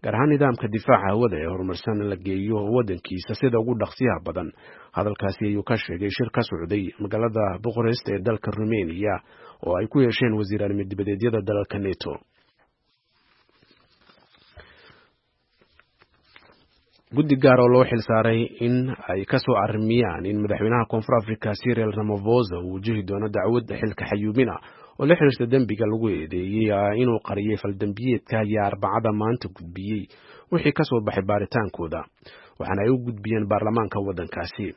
gaar ahaan nidaamka difaaca hawada ee horumarsan, la geeyo waddankiisa sida ugu dhaqsiyaha badan. Hadalkaasi ayuu ka sheegay shir ka socday magaalada Bucharest ee dalka Rumeniya oo ay ku yeesheen wasiir arrimo dibadeedyada dalalka NATO. Guddi gaar oo loo xilsaaray in ay ka soo arrimiyaan in madaxweynaha Koonfur Africa Cyril Ramaphosa uu wajihi doono dacwad xilka xayuubina oo la xiriirta dembiga lagu eedeeyey inuu qariyay faldembiyeedka ayaa Arbacada maanta gudbiyey wixii ka soo baxay baaritaankooda, waxaana ay u gudbiyeen baarlamaanka waddankaasi.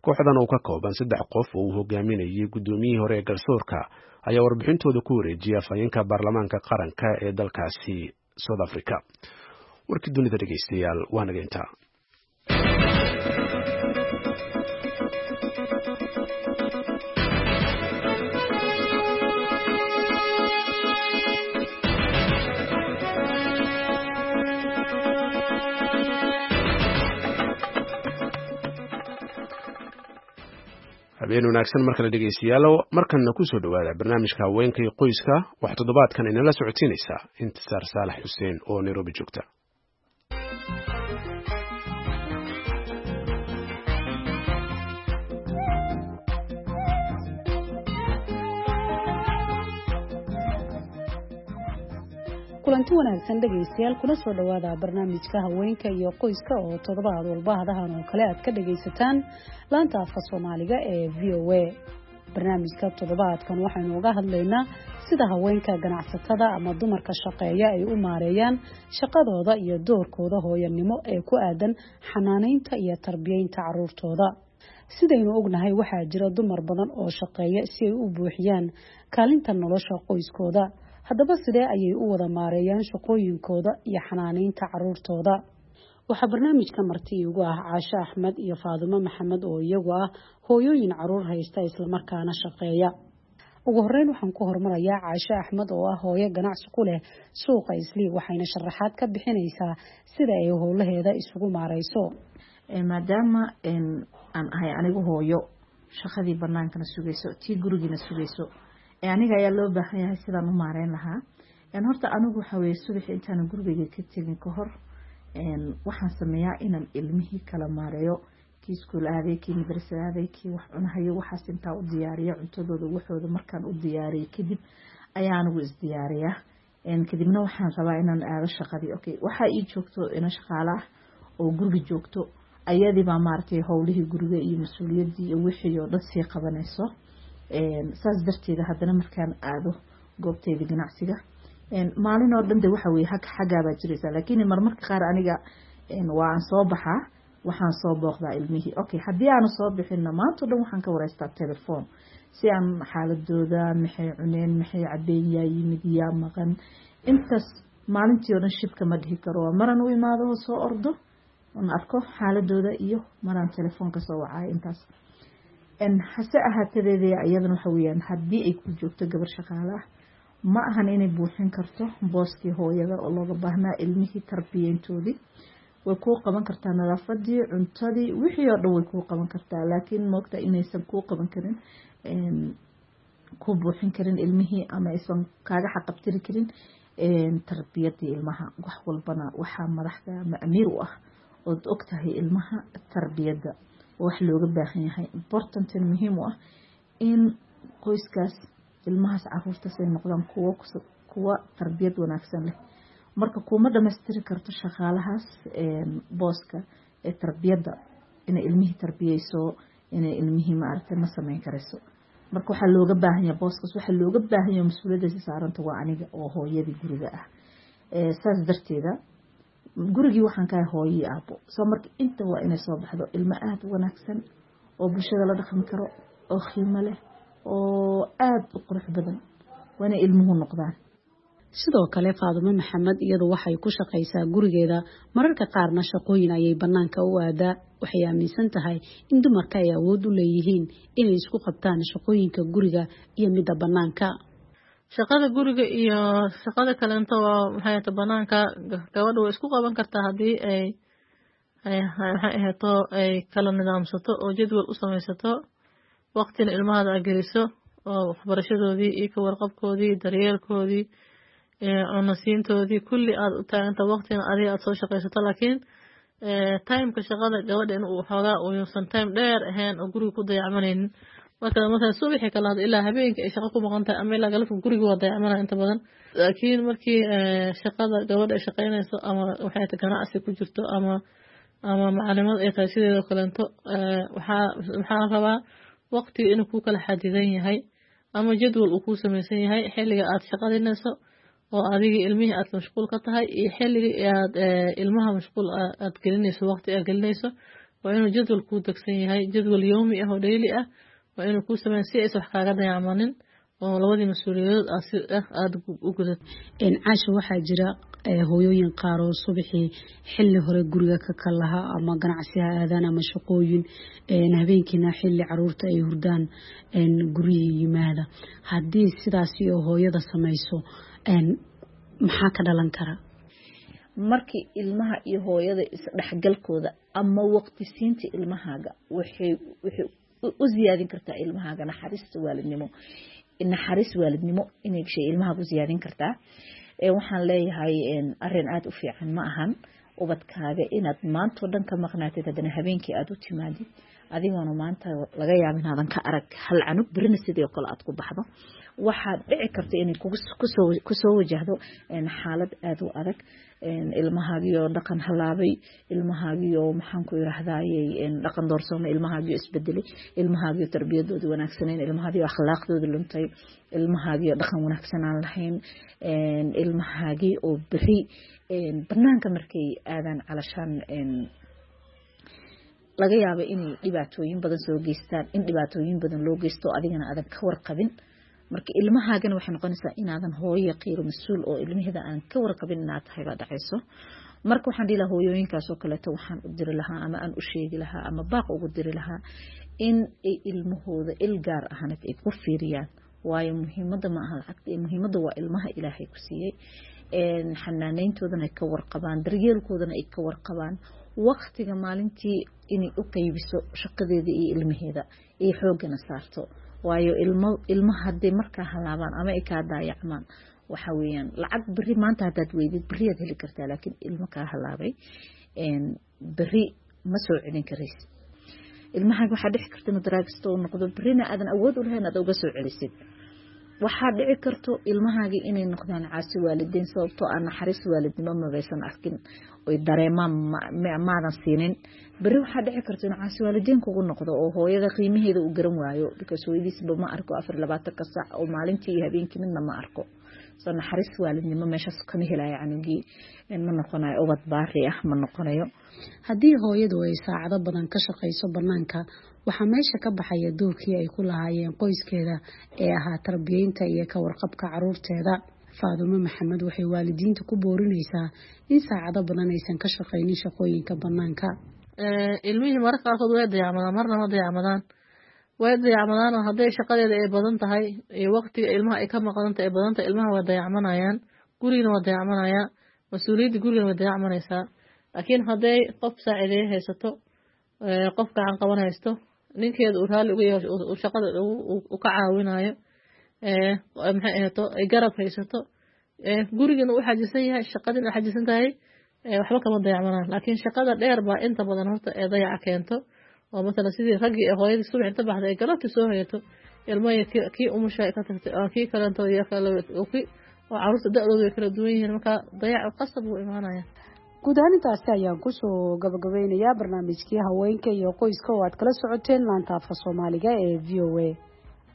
Kooxdan oo ka kooban saddex qof oo uu hogaaminayay guddoomiyihii hore ee garsoorka ayaa warbixintooda ku wareejiyay afhayeenka baarlamaanka qaranka ee dalkaasi South Africa. Warkii dunida, dhegeystayaal, waa naga intaa. Habeen wanaagsan mar kale, dhegeystayaal. Markanna kusoo dhowaada barnaamijka haweenka iyo qoyska. Wax toddobaadkan inala socodsiinaysaa Intisaar Saalax Xuseen oo Nairobi joogta. Kulanti wanaagsan, dhegaystayaal, kuna soo dhowaada barnaamijka haweenka iyo qoyska oo toddobaad walba hadahan oo kale aad ka dhagaysataan laanta afka Soomaaliga ee VOA. Barnaamijka toddobaadkan waxaynu uga hadlaynaa sida haweenka ganacsatada ama dumarka shaqeeya ay u maareeyaan shaqadooda iyo doorkooda hooyanimo ee ku aadan xanaaneynta iyo tarbiyeynta caruurtooda. Sidaynu ognahay, waxaa jira dumar badan oo shaqeeya si ay u buuxiyaan kaalinta nolosha qoyskooda. Haddaba, sidee ayay u wada maareeyaan shaqooyinkooda iyo xanaaneynta caruurtooda? Waxaa barnaamijka marti iigu ah Caashe Axmed iyo Faadimo Maxamed oo iyagu ah hooyooyin caruur haysta islamarkaana shaqeeya. Ugu horeyn waxaan ku hormarayaa Caashe Axmed oo ah hooyo ganacsi ku leh suuqa Islii, waxayna sharaxaad ka bixinaysaa sida ay howlaheeda isugu maareyso. Maadaama aan ahay anigu hooyo shaqadii banaankana sugayso, tii gurigiina sugayso, aniga ayaa loo baahan yahay sidaan u maareyn lahaa. Horta anigu waxaa weye, subaxii intaanan gurigeyga ka tegin ka hor, waxaan sameeyaa inaan ilmihii kala maareeyo: kii iskuul aaday, kii madrasa aaday, kii wax cunahayo. Waxaas intaa u diyaariyo cuntadooda, waxooda markaan u diyaariyo kadib ayaa anigu isdiyaariyaa. Kadibna waxaan rabaa inaan aado shaqadii. Okay, waxaa ii joogto ina shaqaale ah oo guriga joogto, ayadii baa maaragtay howlihii guriga iyo mas-uuliyaddii iyo wixii oo dhan sii qabanayso. Saas darteeda haddana markaan aado goobteyda ganacsiga, maalin oo dhan de waxa weye xaggaabaa jiraysaa, laakiin marmarka qaar aniga waa aan soo baxaa, waxaan soo booqdaa ilmihii. Okay, haddii aanu soo bixinna, maanta o dhan waxaan ka wareystaa telefoon si aan xaaladooda, maxay cuneen, maxay cabeen, yaa yimid, yaa maqan. Intaas maalintii oo dhan shibka ma dhihi karo. Waa maraan u imaado oo soo ordo oon arko xaaladooda iyo maraan telefoonka soo wacayo intaas. Hase ahaatedeedee, iyadana waxa weyaan, haddii ay ku joogto gabar shaqaale ah, ma ahan inay buuxin karto booskii hooyada oo looga baahnaa ilmihii tarbiyeyntoodii. Way kuu qaban kartaa nadaafadii, cuntadii, wixii oo dhan way kuu qaban kartaa, laakiin moogta inaysan kuu qaban karin, ku buuxin karin ilmihii ama aysan kaaga xaqabtiri karin tarbiyadii ilmaha. Wax walbana waxaa madaxda ama amiir u ah ood ogtahay ilmaha tarbiyadda, wax looga baahan yahay, important, muhiim u ah in qoyskaas, ilmahaas, caruurtaas ay noqdaan kuwa tarbiyad wanaagsan leh. Marka kuma dhamaystiri karto shaqaalahaas booska ee tarbiyadda. Inay ilmihii tarbiyeyso, inay ilmihii maaragtay, ma sameyn karayso. Marka waxaa looga baahan yahay booskaas, waxaa looga baahan yahay mas-uuliyaddaasi saaranta waa aniga oo hooyadii guriga ah. Saas darteeda gurigii waxaan kahay hooyo iyo aabo. Soo marka inta waa inay soo baxdo ilmo aada u wanaagsan oo bulshada la dhaqmi karo oo qiimo leh oo aada u qurux badan, waa inay ilmuhu noqdaan. Sidoo kale Faadumo Maxamed iyadu waxay ku shaqaysaa gurigeeda, mararka qaarna shaqooyin ayay bannaanka u aadaa. Waxay aaminsan tahay in dumarka ay awood u leeyihiin inay isku qabtaan shaqooyinka guriga iyo midda bannaanka. Shaqada guriga iyo shaqada kaleento waa maxay ahayto banaanka, gabadha way isku qaban kartaa haddii ay maxay ahayto ay kala nidaamsato oo jadwal u samaysato, waqtina ilmahaada aad geliso oo waxbarashadoodii iyo ka warqabkoodii, daryeelkoodii, cunasiintoodii, kulli aad u taaganta, waqtina adiga aad soo shaqaysato. Laakiin timeka shaqada gabadha in uu xoogaa uusan time dheer ahayn oo guriga ku dayacmanaynin. Marka masalan subaxii kalaad ilaa habeenkii ay shaqo ku maqan tahay ama ilaa galabka, guriga waa dayacmanaya inta badan. Laakiin markii shaqada gabadha ay shaqaynayso ama waxay tahay ganacsi ku jirto ama macalimad ay tahay sideedoo kaleento, waxaa rabaa waqtiga inuu ku kala xadidan yahay ama jadwal uu ku samaysan yahay, xilliga aad shaqadinayso oo adiga ilmihii aad mashquul ka tahay iyo xilligii aad ilmaha mashquul aad gelinayso, waqti aad gelinayso. Waa inuu jadwal kuu degsan yahay, jadwal yowmi ah oo daily ah waa inuu kuu sameyn si aysan wax kaaga dayacmanin oo labadii mas-uuliyadood aad si ah aada u gudato. Caasha, waxaa jira hooyooyin qaar oo subaxii xilli hore guriga ka kalaha ama ganacsi ha aadaan ama shaqooyin, habeenkiina xilli caruurta ay hurdaan guryihii yimaada. Haddii sidaasi oo hooyada samayso, maxaa ka dhalan kara? Markii ilmaha iyo hooyada isdhexgalkooda ama waqti siinta ilmahaaga waxay u siyaadin kartaa ilmahaaga naxariista waalidnimo, naxariis waalidnimo inay shay ilmahaaga u siyaadin kartaa. Waxaan leeyahay arin aada u fiican ma ahan ubadkaaga inaad maantao dhan ka maqnaatid, haddana habeenkii aada u timaadid adigoona maanta laga yaaba inaadan ka arag hal canug, berina sidii kale aad ku baxdo. Waxaad dhici karta inay kusoo wajahdo xaalad aada u adag, ilmahaagiyo dhaqan halaabay, ilmahaagiyo maxaan ku yirahdayey dhaqan doorsoomay, ilmahaagiyo isbedelay, ilmahaagiyo tarbiyadooda wanaagsaneyn, ilmahaagiyo akhlaaqdooda luntay, ilmahaagiyo dhaqan wanaagsan aan lahayn, ilmahaagii oo beri banaanka markay aadaan calashaan laga yaabo inay dhibaatooyin badan soo geystaan, in dhibaatooyin badan loo geysto adigana aadan ka warqabin. Marka ilmahaagana waxay noqonaysaa inaadan hooyo qiiro mas-uul oo ilmaheeda aan ka warqabin inaad tahay baa dhacayso. Marka waxaan dhihi lahaa hooyooyinkaas oo kaleeto, waxaan u diri lahaa ama aan u sheegi lahaa ama baaq ugu diri lahaa in ay ilmahooda il gaar ahaanad ay ku fiiriyaan, waayo muhiimadda ma aha lacagta, muhiimadda waa ilmaha Ilaahay ku siiyey. Xanaaneyntoodana ay ka warqabaan, daryeelkoodana ay ka warqabaan, waqtiga maalintii inay u qeybiso shaqadeeda iyo ilmaheeda iyo xooggana saarto. Waayo ilmo ilmaha hadday markaa halaabaan ama ay kaa daayacmaan, waxa weeyaan lacag beri maanta haddaad weydid beriyaad heli kartaa, laakiin ilmo kaa halaabay beri ma soo celin karaysid. Ilmahaaga waxaa dhici karta inuu daraagisto uu noqdo, berina aadan awood u lahayn aad uga soo celisid. Waxaa dhici karto ilmahaagii inay noqdaan caasi waalidiin, sababtoo ah naxariis waalidnimo mabaysan arkin oy dareemaan maadan siinin. Beri waxaa dhici karto inuu caasi waalidiin kugu noqdo oo hooyada qiimaheeda uu garan waayo, because hooyadiisba ma arko 24-ka saac oo maalintii iyo habeenkii midna ma arko. Soo naxariis waalidnimo meeshaas kama helayo canugii, ma noqonayo ubad baari ah ma noqonayo. Haddii hooyadu ay saacado badan ka shaqayso bannaanka, waxaa meesha ka baxaya doorkii ay ku lahaayeen qoyskeeda ee ahaa tarbiyeynta iyo ka warqabka caruurteeda. Faadumo Maxamed waxay waalidiinta ku boorinaysaa in saacado badan aysan ka shaqaynin shaqooyinka bannaanka. Ilmihii mararka qaarkood way dayacmadaan, marna ma dayacmadaan, way dayacmadaan oo hadday shaqadeeda ay badan tahay iyo waqtiga ilmaha ay ka maqan tahay ay badan tahay, ilmaha waa dayacmanayaan, gurigana waa dayacmanayaa, mas-uuliyadda gurigana way dayacmanaysaa. Laakiin hadday qof saacideeye haysato, qof gacan qaban haysto, ninkeeda uu raalli uga yahay uu shaqada uu ka caawinayo, maxay ahayto ay garab haysato, gurigana uu xajisan yahay, shaqadina u xajisan tahay, waxba kama dayacmanaan. Laakiin shaqada dheer baa inta badan horta ee dayaca keento, oo masalan sidii raggii ee hooyadii subax inta baxday ay galabtii soo hoyato, ilmaha kii umusha ka tagtay kii kaleento iyo kii oo caruurta da-doodu way kala duwan yihiin, marka dayac qasab buu imaanaya. Guud ahaan intaasi ayaan kusoo gabagabeynayaa barnaamijkii haweenka iyo qoyska oo aad kala socoteen laanta afka Soomaaliga ee VOA.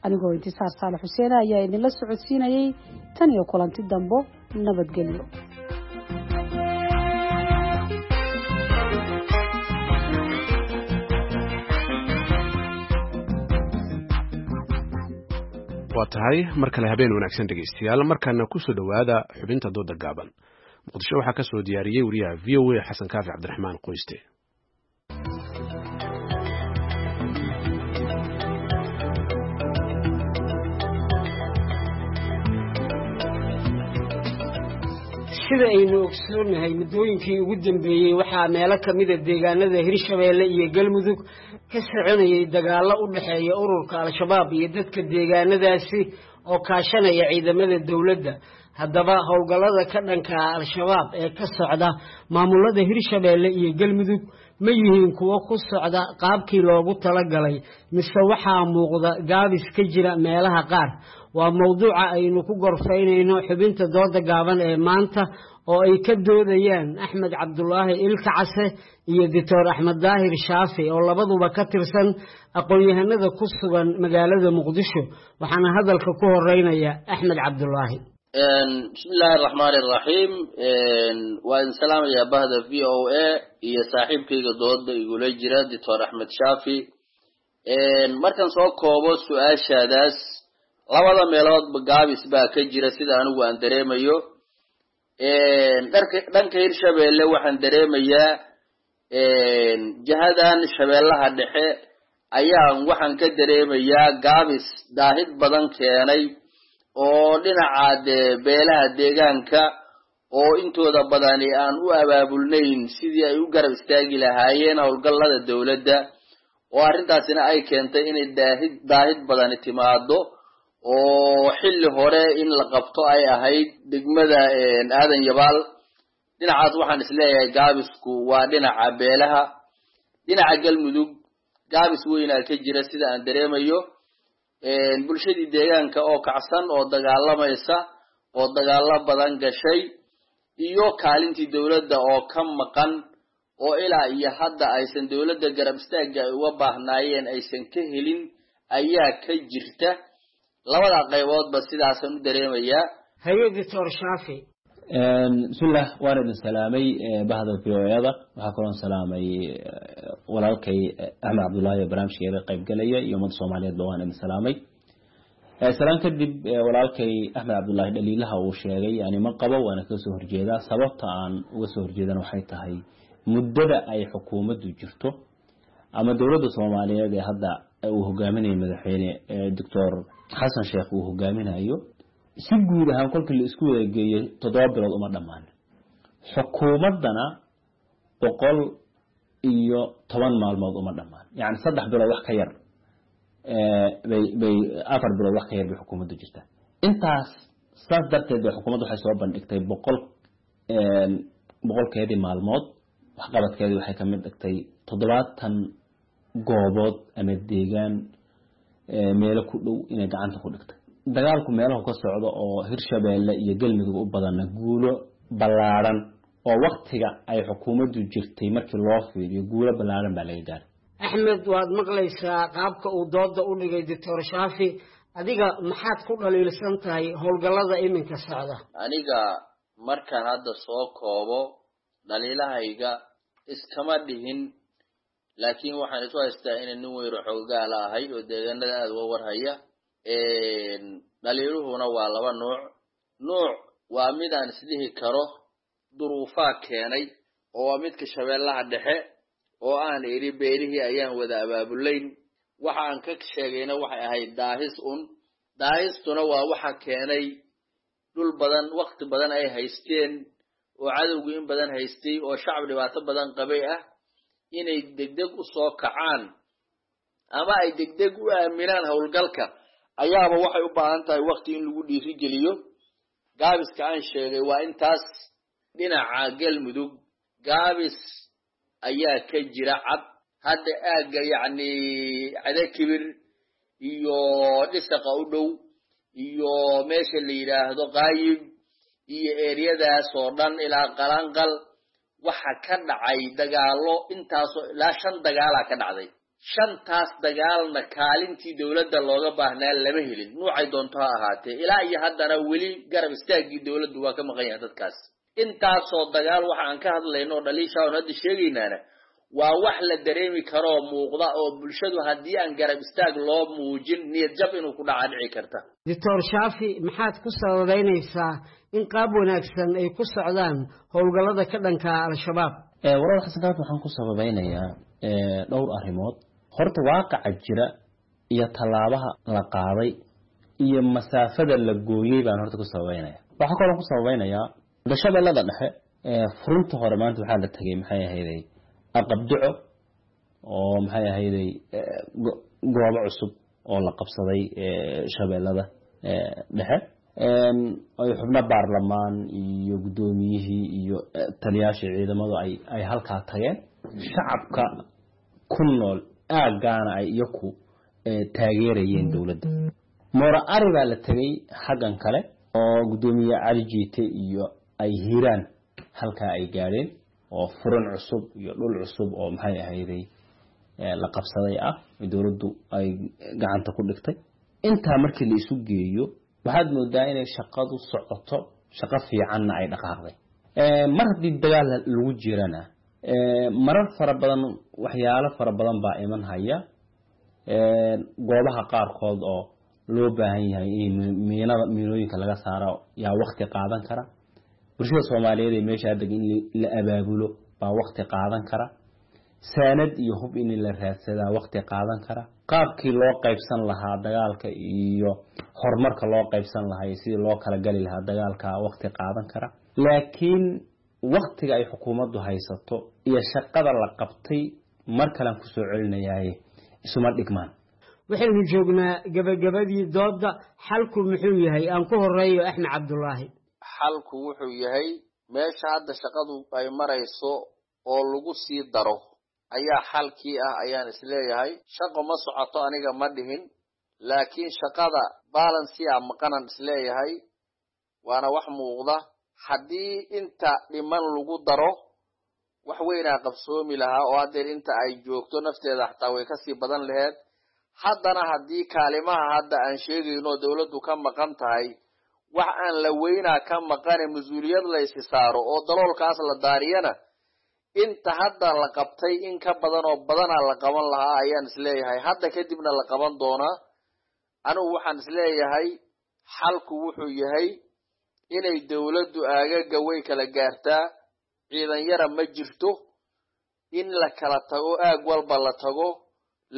Anigoo Intisaar Saalax Xuseen ayaa idinla socodsiinayay. Tan iyo kulanti dambo, nabadgelyo. Waa tahay, mar kale habeen wanaagsan dhegaystayaal. Markaana kusoo dhowaada xubinta dooda gaaban. Muqdisho waxaa ka soo diyaariyey wariyaha VOA Xasan Kaafi Cabdiraxmaan Qoyste. Sida aynu ogsoonahay, muddooyinkii ugu dambeeyey waxaa meelo ka mida deegaanada Hirshabeelle iyo Galmudug ka soconayay dagaallo u dhexeeya ururka Al-Shabaab iyo dadka deegaanadaasi oo kaashanaya ciidamada dowladda. Haddaba, howlgallada ka dhanka ah Al-Shabaab ee ka socda maamulada Hirshabeelle iyo Galmudug ma yihiin kuwo ku socda qaabkii loogu talagalay, mise waxaa muuqda gaabis ka jira meelaha qaar? Waa mowduuca aynu ku gorfaynayno xubinta dooda gaaban ee maanta, oo ay ka doodayaan Axmed Cabdulaahi Ilka Case iyo Doctor Axmed Daahir Shaafi, oo labaduba ka tirsan aqoon-yahanada ku sugan magaalada Muqdisho. Waxaana hadalka ku horeynaya Axmed Cabdulaahi. Bismi illaahi araxmaani araxiim. Waa idin salaamayaa bahda VOA iyo saaxiibkayga dooda igula jira, Doctor Axmed Shaafi. Markaan soo koobo su-aashaadaas, labada meeloodba gaabis baa ka jira sida anigu aan dareemayo. Dhanka Hirshabeelle waxaan dareemayaa jihadan Shabeellaha Dhexe ayaan waxaan ka dareemayaa gaabis daahid badan keenay, oo dhinaca dee beelaha deegaanka oo intooda badani aan u abaabulnayn sidii ay u garab istaagi lahaayeen howlgallada dowladda, oo arrintaasina ay keentay inay daahid badani timaado, oo xilli hore in la qabto ay ahayd degmada Aadan Yabaal. Dhinacaas waxaan isleeyahay gaabisku waa dhinaca beelaha. Dhinaca Galmudug gaabis weynaa ka jira sida aan dareemayo. Bulshadii deegaanka oo kacsan oo dagaalamaysa oo dagaalo badan gashay, iyo kaalintii dowladda oo ka maqan, oo ilaa iyo hadda aysan dowladda garab istaagga ay uga baahnaayeen aysan ka helin ayaa ka jirta. Labada qayboodba sidaasaan u dareemayaa. Haye, Doctor Shaafi. Bismillah, waan idin salaamay bahda VOA-da. Waxaa kaloon salaamay walaalkay Axmed Cabdullaahi oo barnaamijkeeda qaybgalaya, iyo ummadda Soomaaliyeedba waan idin salaamay. Salaan kadib, walaalkay Axmed Cabdullaahi dhaliilaha uu sheegay yani ma qabo, waana kaga soo horjeedaa. Sababta aan uga soo horjeedana waxay tahay muddada ay xukuumaddu jirto ama dowladda Soomaaliyeed ee hadda uu hogaaminayo madaxweyne Doctor Xasan Sheekh uu hogaaminayo, si guud ahaan kolkii la isku wada geeyo 7 bilood uma dhammaan, xukuumaddana 110 maalmood uma dhammaan. Yani 3 bilood wax ka yar bay 4 bilood wax ka yar bay xukuumaddu jirtaa intaas. Saas darteed bay xukuumaddu waxay soo bandhigtay 100-keedii maalmood waxqabadkeedii. Waxay kamid dhigtay 70 goobood ama deegaan meelo ku dhow inay gacanta ku dhigtay. Dagaalku meelahu ka socdo oo Hirshabeelle iyo Galmudug u badanna guulo ballaadhan oo waktiga ay xukuumaddu jirtay markii loo fiiriyo guulo ballaadhan baa laga gaaray. Axmed, waad maqlaysaa qaabka uu dooda u dhigay Doctor Shaafi. Adiga maxaad ku dhaliilsan tahay howlgallada iminka socda? Aniga markaan hadda soo koobo dhaliilahayga, iskama dhihin, laakiin waxaan isu haystaa inay nin weyro xoogaala ahay oo deegaanada aada uga warhaya. Dhaliiluhuna waa laba nuuc. Nuuc waa mid aan isdhihi karo duruufaa keenay, oo waa midka Shabeellaha Dhexe oo aan idhi beelihii ayaan wada abaabulayn. Waxa aan ka sheegayna waxay ahayd daahis un. Daahistuna waa waxa keenay dhul badan wakti badan ay haysteen oo cadowgu in badan haystay oo shacab dhibaato badan qabay ah inay degdeg u soo kacaan ama ay degdeg u aaminaan howlgalka ayaaba waxay u baahan tahay wakti in lagu dhiirigeliyo. Gaabiska aan sheegay waa intaas. Dhinaca Galmudug gaabis ayaa ka jira cad. Hadda aagga yacni Cadakibir iyo Dhisaqa u dhow iyo meesha la yidhaahdo Qaayib iyo eeriyadaas oo dhan ilaa Qalanqal Waxa ka dhacay dagaallo, intaasoo ilaa 5 dagaalaa ka dhacday. 5taas dagaalna kaalintii dowladda looga baahnaa lama helin, nuucay doonto ha ahaatee. Ilaa iyo haddana weli garab istaaggii dowladdu waa ka maqan yahay dadkaas. Intaasoo dagaal waxa aan ka hadlayno oo dhaliisha oon hadda sheegaynaana waa wax la dareemi karoo muuqda, oo bulshadu haddii aan garab istaag loo muujin niyad jab inuu ku dhaca dhici karta. Doctor Shaafi, maxaad ku sababeynaysaa in qaab wanaagsan ay ku socdaan howlgallada ka dhanka Al-Shabaab? Walaal Xasan Kaafi, waxaan ku sababeynayaa dhowr arrimood. Horta waaqaca jira iyo tallaabaha la qaaday iyo masaafada la gooyey baan horta ku sababeynaya. Waxaa kaloo ku sababeynayaa Shabeellada Dhexe, furunta hore maanta waxaa la tegey maxay ahayday Aqabduco, oo maxay ahayday goobo cusub oo la qabsaday Shabeellada Dhexe, ay xubno baarlamaan iyo guddoomiyihii iyo taliyaashii ciidamadu ay halkaa tageen. Shacabka ku nool aaggaana ay iyaku taageerayeen dowladda. Moora Ari baa la tegey xaggan kale, oo guddoomiye Cali Jiite iyo ay Hiiraan halkaa ay gaadheen, oo furan cusub iyo dhul cusub oo maxay ahayday la qabsaday ah, dowladdu ay gacanta ku dhigtay. Intaa markii la isu geeyo, waxaad moodaa inay shaqadu socoto, shaqo fiicanna ay dhaqaaqday. Mar haddii dagaal lagu jirana, marar fara badan waxyaalo fara badan baa iman haya, goobaha qaarkood oo loo baahan yahay in miinada miinooyinka laga saaro yaa wakti qaadan kara. Bulshada Soomaaliyeed ee meesha degan in la abaabulo baa wakti qaadan kara. Saanad iyo hub in la raadsadaa wakti qaadan kara. Qaabkii loo qaybsan lahaa dagaalka iyo horumarka loo qaybsan lahaa iyo sidii loo kala gali lahaa dagaalka wakti qaadan kara. Laakiin waktiga ay xukuumaddu haysato iyo shaqada la qabtay, mar kalean kusoo celinayaaye, isuma dhigmaan. Waxaynu joognaa gabagabadii doodda. Xalku muxuu yahay? Aan ku horeeyo Axmed Cabdulaahi. Xalku wuxuu yahay meesha hadda shaqadu ay marayso oo lagu sii daro ayaa xalkii ah, ayaan isleeyahay. Shaqo ma socoto aniga ma dhihin, laakiin shaqada balansia maqanan isleeyahay, waana wax muuqda. Haddii inta dhiman lagu daro, wax weynaa qabsoomi lahaa, oo haddeer inta ay joogto nafteeda xataa way kasii badan laheed. Haddana haddii kaalimaha hadda aan sheegayno dowladdu ka maqan tahay, wax aan la weynaa ka maqane mas-uuliyad la isi saaro oo daloolkaas la daariyana, inta hadda la qabtay in ka badan oo badanaa la qaban lahaa ayaan isleeyahay. Hadda kadibna la qaban doonaa. Anigu waxaan isleeyahay xalku wuxuu yahay inay dowladdu aagaga way kala gaartaa, ciidan yara ma jirto, in la kala tago, aag walba la tago,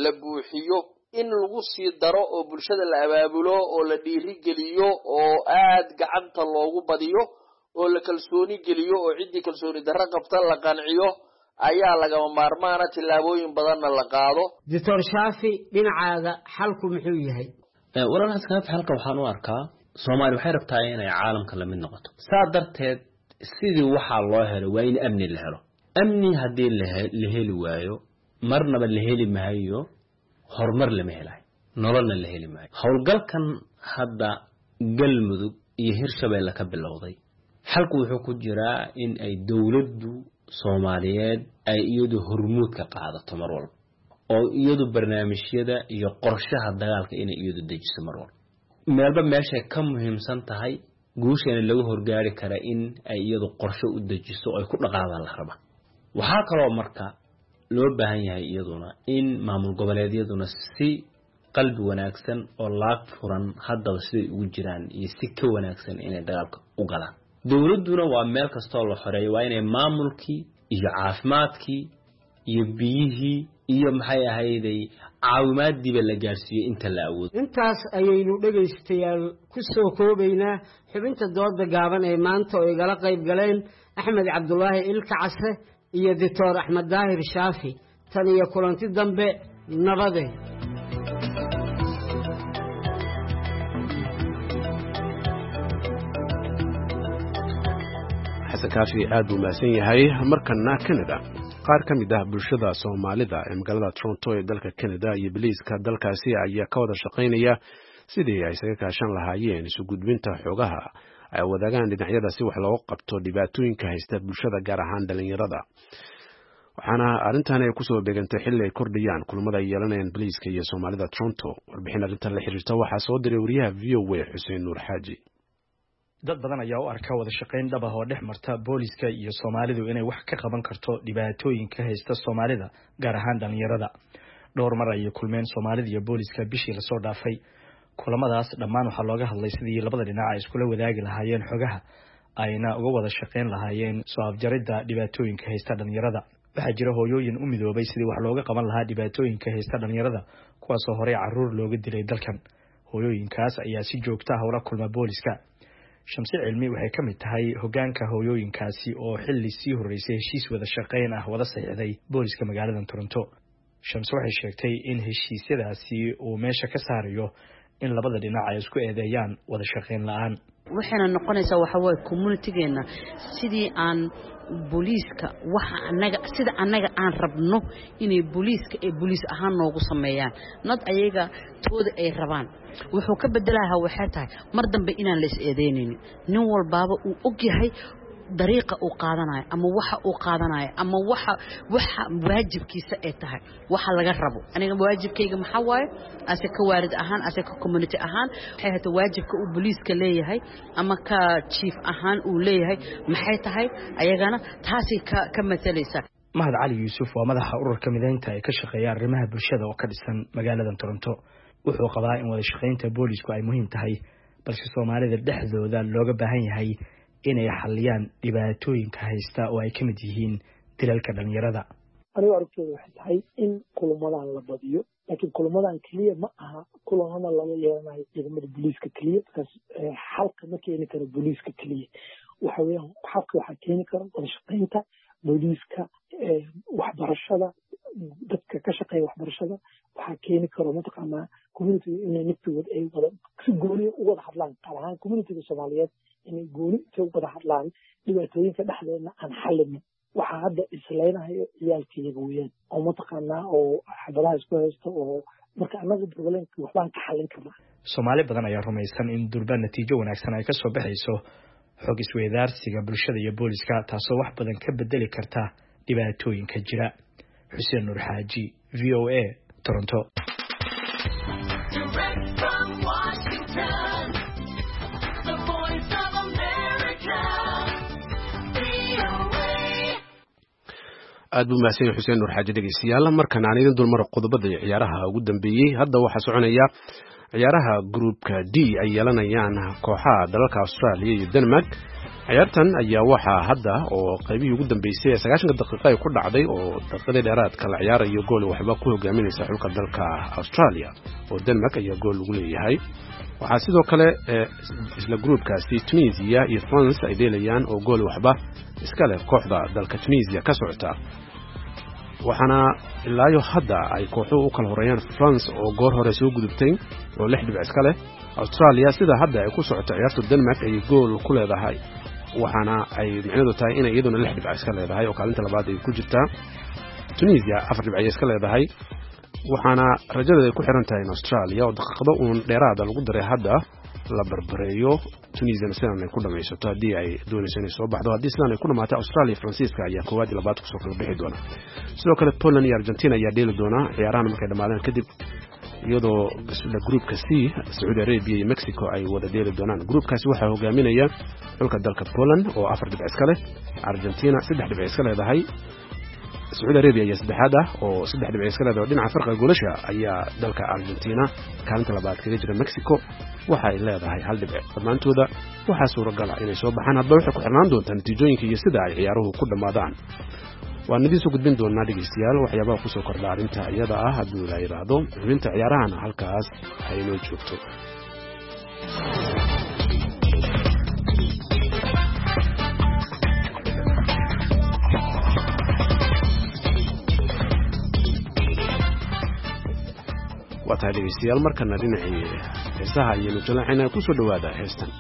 la buuxiyo, in lagu sii daro oo bulshada la abaabulo oo la dhiirigeliyo oo aad gacanta loogu badiyo oo la kalsooni geliyo, oo ciddii kalsooni darro qabta la qanciyo ayaa lagama maarmaana, tillaabooyin badanna la qaado. Doctor Shaafi, dhinacaaga xalku muxuu yahay? Walaal Xasan, halka waxaan u arkaa Soomaaliya waxay rabtaa inay caalamka la mid noqoto. Saa darteed sidii waxaa loo helo waa in amni la helo. Amni haddii la heli waayo, marnaba la heli maayo horumar, lama helayo nololna la heli maayo. Howlgalkan hadda Galmudug iyo Hirshabeelle ka bilowday, xalku wuxuu ku jiraa in ay dowladdu Soomaaliyeed ay iyadu hormuud ka qaadato mar walba, oo iyadu barnaamijyada iyo qorshaha dagaalka inay iyadu dejiso mar walba. Meelba meeshay ka muhiimsan tahay guusheena lagu horgaari kara in ay iyadu qorshe u dejiso oo ay ku dhaqaadaan la raba. Waxaa kaloo marka loo baahan yahay iyaduna in maamul goboleedyaduna si qalbi wanaagsan oo laag furan haddaba siday ugu jiraan iyo si ka wanaagsan inay dagaalka u galaan. Dowladduna waa meel kastoo la xoreeyo waa inay maamulkii iyo caafimaadkii iyo biyihii iyo maxay ahayday caawimaadiiba la gaarsiiyo inta la awoodo. Intaas ayaynu dhegaystayaal ku soo koobaynaa xubinta dooda gaaban ee maanta oo igala qayb galeen Axmed Cabdulaahi Ilka Case iyo Doctor Axmed Daahir Shaafi. Tan iyo kulanti dambe, nabade. Xasan Kaafi aad buu mahadsan yahay. Markana Canada, qaar ka mid ah bulshada Soomaalida ee magaalada Toronto ee dalka Canada iyo biliiska dalkaasi ayaa ka wada shaqaynaya sidii ay isaga kaashan lahaayeen isu gudbinta xogaha ay wadaagaan dhinacyada si wax looga qabto dhibaatooyinka haysta bulshada, gaar ahaan dhalinyarada. Waxaana arrintan ay kusoo beegantay xilli ay kordhayaan kulamada ay yeelanayaan booliiska iyo Soomaalida Toronto. Warbixin arrintan la xiriirta waxaa soo diray wariyaha VOA Xuseen Nuur Xaaji. Dad badan ayaa u arka wada shaqayn dhab ah oo dhex marta booliska iyo Soomaalidu inay wax ka qaban karto dhibaatooyinka haysta Soomaalida, gaar ahaan dhalinyarada. Dhowr mar ayay kulmeen Soomaalida iyo booliska bishii lasoo dhaafay. Kulamadaas dhammaan waxaa looga hadlay sidii labada dhinac ay iskula wadaagi lahaayeen xogaha, ayna uga wada shaqayn lahaayeen soo afjaridda dhibaatooyinka haysta dhalinyarada. Waxaa jira hooyooyin u midoobay sidii wax looga qaban lahaa dhibaatooyinka haysta dhalinyarada, kuwaasoo horey caruur looga dilay dalkan. Hooyooyinkaas ayaa si joogta ah ula kulma booliska. Shamse Cilmi waxay ka mid tahay hogaanka hooyooyinkaasi oo xilli sii horreysay heshiis wada shaqayn ah wada saxiixday booliska magaalada Toronto. Shamse waxay sheegtay in heshiisyadaasi uu meesha ka saarayo in labada dhinac ay isku eedeeyaan wada shaqayn la'aan. Waxayna noqonaysaa waxa waaye communitygeenna sidii aan booliiska waxa anaga sida annaga aan rabno inay booliiska ay booliis ahaan noogu sameeyaan, nad ayaga tooda ay rabaan. Wuxuu ka bedelahaa waxay tahay mar dambe inaan la is eedeynaynin, nin walbaaba uu og yahay dariiqa uu qaadanayo ama waxa uu qaadanayo ama waxa waajibkiisa ay tahay, waxa laga rabo. Aniga waajibkayga maxaa waaye ase ka waalid ahaan, ase ka community ahaan, waxay hata waajibka uu booliiska leeyahay ama ka chief ahaan uu leeyahay maxay tahay, ayagana taasay ka matalaysaa. Mahad Cali Yuusuf waa madaxa ururka mideynta ee ka shaqeeya arrimaha bulshada oo ka dhisan magaalada Toronto. Wuxuu qabaa in wada shaqaynta boolisku ay muhiim tahay, balse Soomaalida dhexdooda looga baahan yahay inay xaliyaan dhibaatooyinka haysta oo ay ka mid yihiin dilalka dhalinyarada. Anigu aragtooda waxay tahay in kulamadan la badiyo, laakiin kulamadan keliya ma aha kulamada lala yeelanayo ciidamada booliiska keliya, markaas xalka ma keeni karo booliiska keliya. Waxa weeyaan xalka waxaa keeni kara wada shaqaynta booliiska, waxbarashada, dadka ka shaqeeya waxbarashada. Waxaa keeni karo mataqaanaa communitiga inay naftigood ay wada si gooniya u wada hadlaan, qaar ahaan communitiga Soomaaliyeed inay gooni intay u wada hadlaan dhibaatooyinka dhexdeedna aan xallinin. Waxaa hadda islaynahayo ciyaalkayaga weeyaan oo mataqaanaa oo xabadaha isku haysta, oo marka annagu problemka waxbaan ka xallin karnaa. Soomaali badan ayaa rumaysan in durba natiijo wanaagsan ay ka soo baxayso xog isweydaarsiga bulshada iyo booliska, taasoo wax badan ka bedeli karta dhibaatooyinka jira. Xuseen Nuur Xaaji, VOA, Toronto. Aad buu mahadsan yahay Xuseen Nuur Xaaji. Dhegeystayaal, markan aan idin dulmaro qodobada ciyaaraha ugu dambeeyey. Hadda waxaa soconaya ciyaaraha gruupka D ay yeelanayaan kooxaha dalalka Australia iyo Denmark. Ciyaartan ayaa waxaa hadda oo qaybihii ugu dambeysay ee 90-ka daqiiqo ay ku dhacday oo daqiiqadii dheeraadka la ciyaarayo gool waxba ku hogaaminaysa xulka dalka Australia, oo Denmark ayaa gool lagu leeyahay. Waxaa sidoo kale isla gruupkaasi Tunisia iyo France ay dheelayaan oo gool waxba iska leh kooxda dalka Tunisia ka socota. Waxaana ilaayo hadda ay kooxuhu u kala horeeyaan France oo goor hore soo gudubtay oo 6 dhibic iska leh. Australia sida hadda ay ku socoto ciyaarta Denmark ayay gool ku leedahay, waxaana ay micnadu tahay inay iyaduna 6 dhibic iska leedahay oo kaalinta labaad ay ku jirtaa. Tunisia 4 dhibic ayay iska leedahay, waxaana rajadeeda ay ku xiran tahay in Australia oo daqiiqado uun dheeraada lagu daray hadda la barbareeyo, Tunisiana sidan ay ku dhamaysato haddii ay doonayso inay soo baxdo. Haddii sidan ay ku dhamaato, Australia Faransiiska ayaa koowaad iyo labaad kusoo kala bixi doona. Sidoo kale Poland iyo Argentina ayaa dheeli doona ciyaarahan markay dhamaadaan kadib, iyadoo isla gruupka C Sacuudi Arabia iyo Mexico ay wada dheeli doonaan. Gruupkaasi waxaa hogaaminaya xulka dalka Poland oo 4 dhibic iska leh, Argentina 3 dhibic iska leedahay, Sacuudi Arabia ayaa saddexaad ah oo 3 dhibic iska leedahay. Dhinaca farqiga goolasha ayaa dalka Argentina kaalinta labaad kaga jira. Mexico waxa ay leedahay 1 dhibic. Dhammaantooda waxaa suuragal ah inay soo baxaan, hadba waxay ku xirnaan doontaa natiijooyinka iyo sida ay ciyaaruhu ku dhammaadaan. Waan idiin soo gudbin doonaa dhegeystayaal waxyaabaha kusoo kordha arrinta iyada ah hadduu ilaa yidhaahdo. Xubinta ciyaarahana halkaas ay inoo joogto. Waa tahay dhegeystayaal, markana dhinacii heesaha iyo nujalaacina kusoo dhowaada heestan.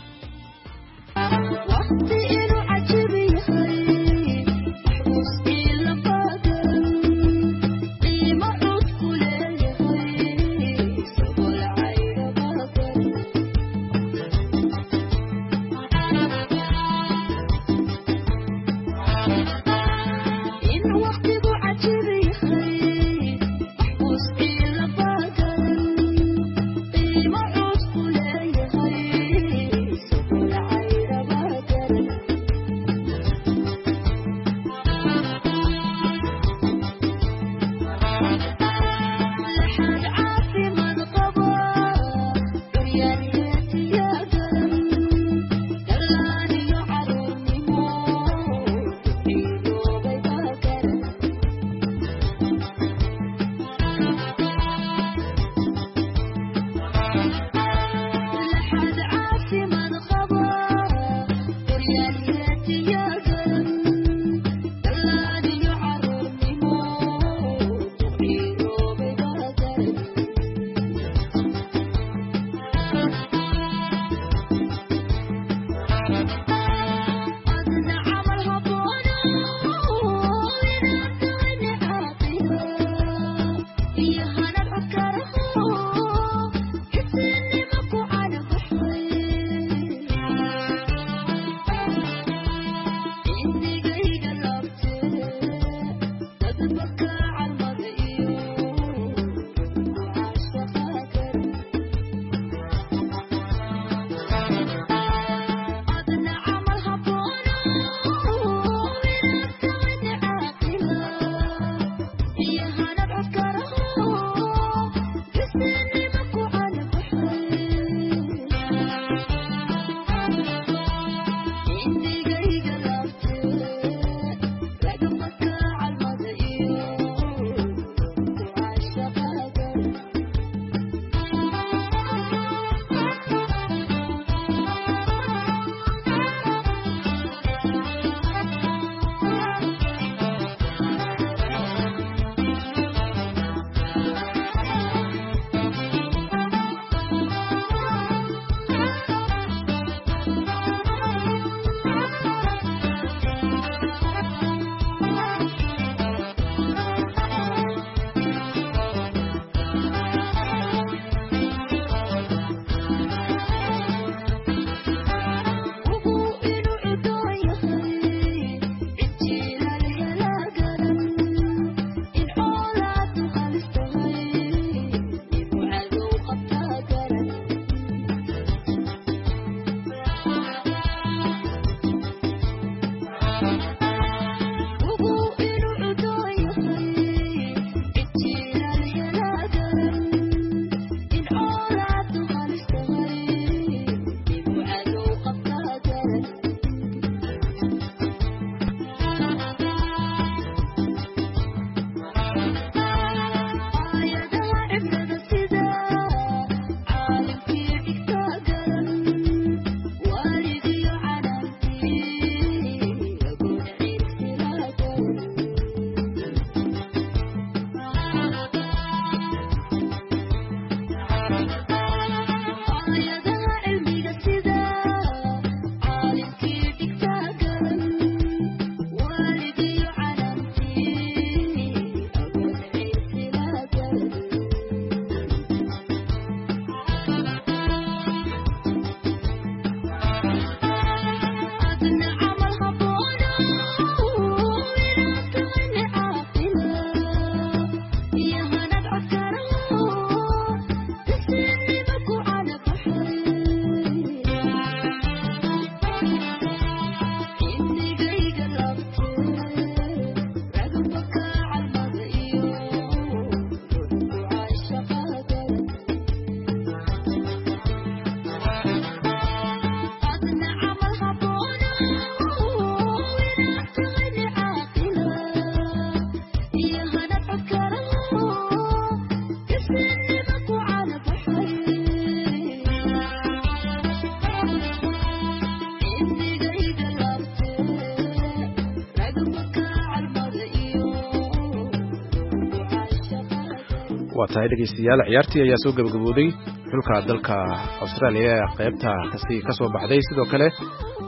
Waa tahay dhegeystayaal, ciyaartii ayaa soo gabagabooday. Xulka dalka Australia ee qaybta kasi ka soo baxday. Sidoo kale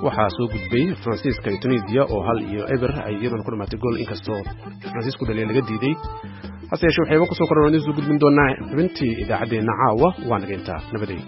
waxaa soo gudbay Faransiiska iyo Tunisia oo 1-0 ay iyaduna ku dhamaatay gool, inkastoo Faransiisku dhaliya laga diiday. Hase yeeshee waxayba kusoo koran idiin soo gudbin doonaa xubintii idaacaddeenna caawa. Waa naga intaa, nabaday.